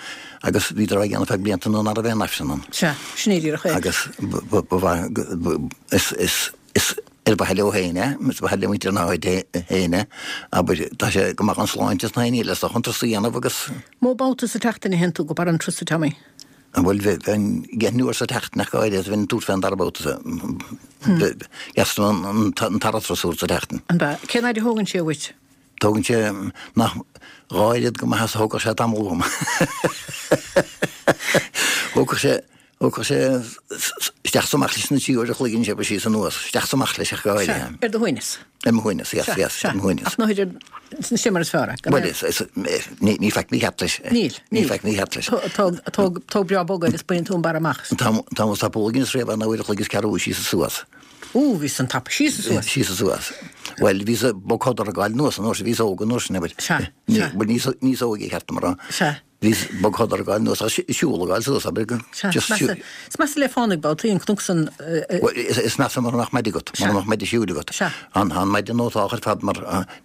agus bhíodar á dhéanamh feadh blianta nuair ná raibh aon Aifreann ann. Sea, sin é díreach é. Agus ba mhaith, is, is ar mhaithe leo féin é, is ar mhaithe le muintir na háite féin é, abair, tá sé go maith don sláinte is na haon ní eile, is dócha an turas a dhéanamh agus. Mó babhta sa tseachtain a théann tú go barr an turais, a Tommy? Bhuel, bheinn deichniúr sa tseachtain ach go háirithe, bheinn ag tabhairt fé an dara babhta sa, measaim an tara turas sa tseachtain. An ea? Cén fhaid a thógann sé uait? Tógann sé nach dhá oiread go maith is a thógfadh sé tamall uaim. Thógfadh sé, thógfadh sé isteach is amach leis na trí uair a chloig anois abair síos anuas, isteach is amach leis ach go háirithe. Sea, ar do shuaimhneas. Ar mo shuaimhneas, yes, yes, ar mo shuaimhneas. Ach ná hidir, sin mar is fearr é. Bhuel, is, is, ní, ní faic mícheart leis. Níl, níl. Ní faic mícheart leis. Tóg, tóg, tóg breá bog agus baineann tú an barr amach. An t-am, an t-am is tapúla a dheineas riamh ná uair a chloig is ceathrú síos is suas. Ó, bhí san tapa síos is suas. Síos is suas. Bhuel, bhíos ag bogshodar ag gabháil anuas an uair sin, bhíos óg an uair sin, abair. Sea, sea. Bhuel, níos, níos óige, ceart dom a rá. Sea. Bhíos bogshodar ag gabháil anuas, agus siúl ag gabháil suas, abair. Sea, Just is measa, is measa le fánaidh babhtaí an cnoc san. Bhuel, is, is measa mura mbeadh maide agat, mura mbeadh maide siúil agat. Sea. An, an maide nótálach ar fad mar,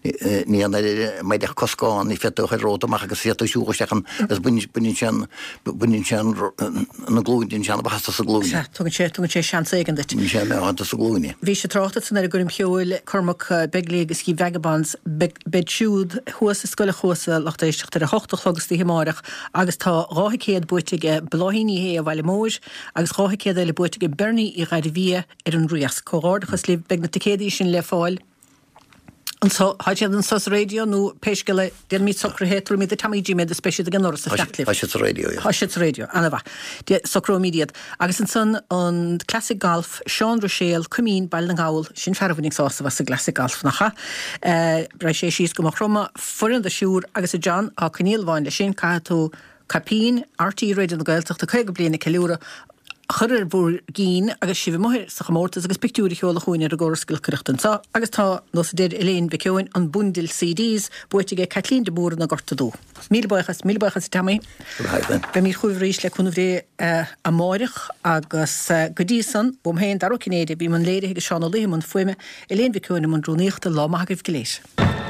ní an oiread maide ach coscán, ní féadfaí a chur romhat amach agus féadfaí siúl isteach an, agus baineann, baineann sé an, baineann sé an, na glúine, déanann sé an-mhaitheas dos na glúine. Sea, tugann sé, tugann sé seans éigin duit. Baineann sé an-mhaith dos na glúine. Bhí sé trácht ansan ar an gcoirm cheoil, Cormac Begley agus The Vagabonds, beidh, beid siúd thuas i Scoil an Chuasa, lucht éisteachta, ar a hocht a chlog istoíche amáireach agus tá 2 thicéad buaite aige Bláithín Ní Shé ó Bhaile Móir agus 2 thicéad eile buaite aige Bernie Uí Ghairbhia ar an Riasc. Comhghairdeachas libh, beidh na ticéadaí sin le fáil. Anso, tá siad anso sa raidió nó pé scéal é, déanfaimid socruithe, tabharfaimid do Tommy Jim iad is beidh siad ag an ndoras ag fanacht libh. Tá siad sa raidió, yeah. Tá siad sa raidió, ana-mhaith. De, socróimid iad. Agus ansan an Classic Golf, Seán Ruiséal, Coimín, Baile na nGall, sin fear a bhainfeadh sásamh as an gClassic Golf, nach ea? Raghaidh sé síos go Maigh Chromtha, foireann de thriúr, agus a John, tá coinníoll amháin leis sin, caithfidh tú caipín RTÉ Raidió na Gaeltachta 50 bliain ag ceiliúradh a chur ar bhur gcinn agus sibh amuigh sa chomórtas agus pictiúir a sheoladh chugainn ar an gcóras giolcaireachta anseo agus tá, nós a deir Elaine Mhic Eoin, an bundle CDs buaite aige Caitlín de Mórdha na Gorta Dubh. Míle buíochas, míle buíochas a Tommy. Beimid chugaibh arís le cúnamh Dé amáireach agus go dtí san, uaim féin, Dara Ó Cinnéide, a bhí i mbun léirithe agus Seán Ó Laoithe i mbun fuaime, Elaine Mhic Eoin i mbun rúnaíochta, lá maith agaibh go léir.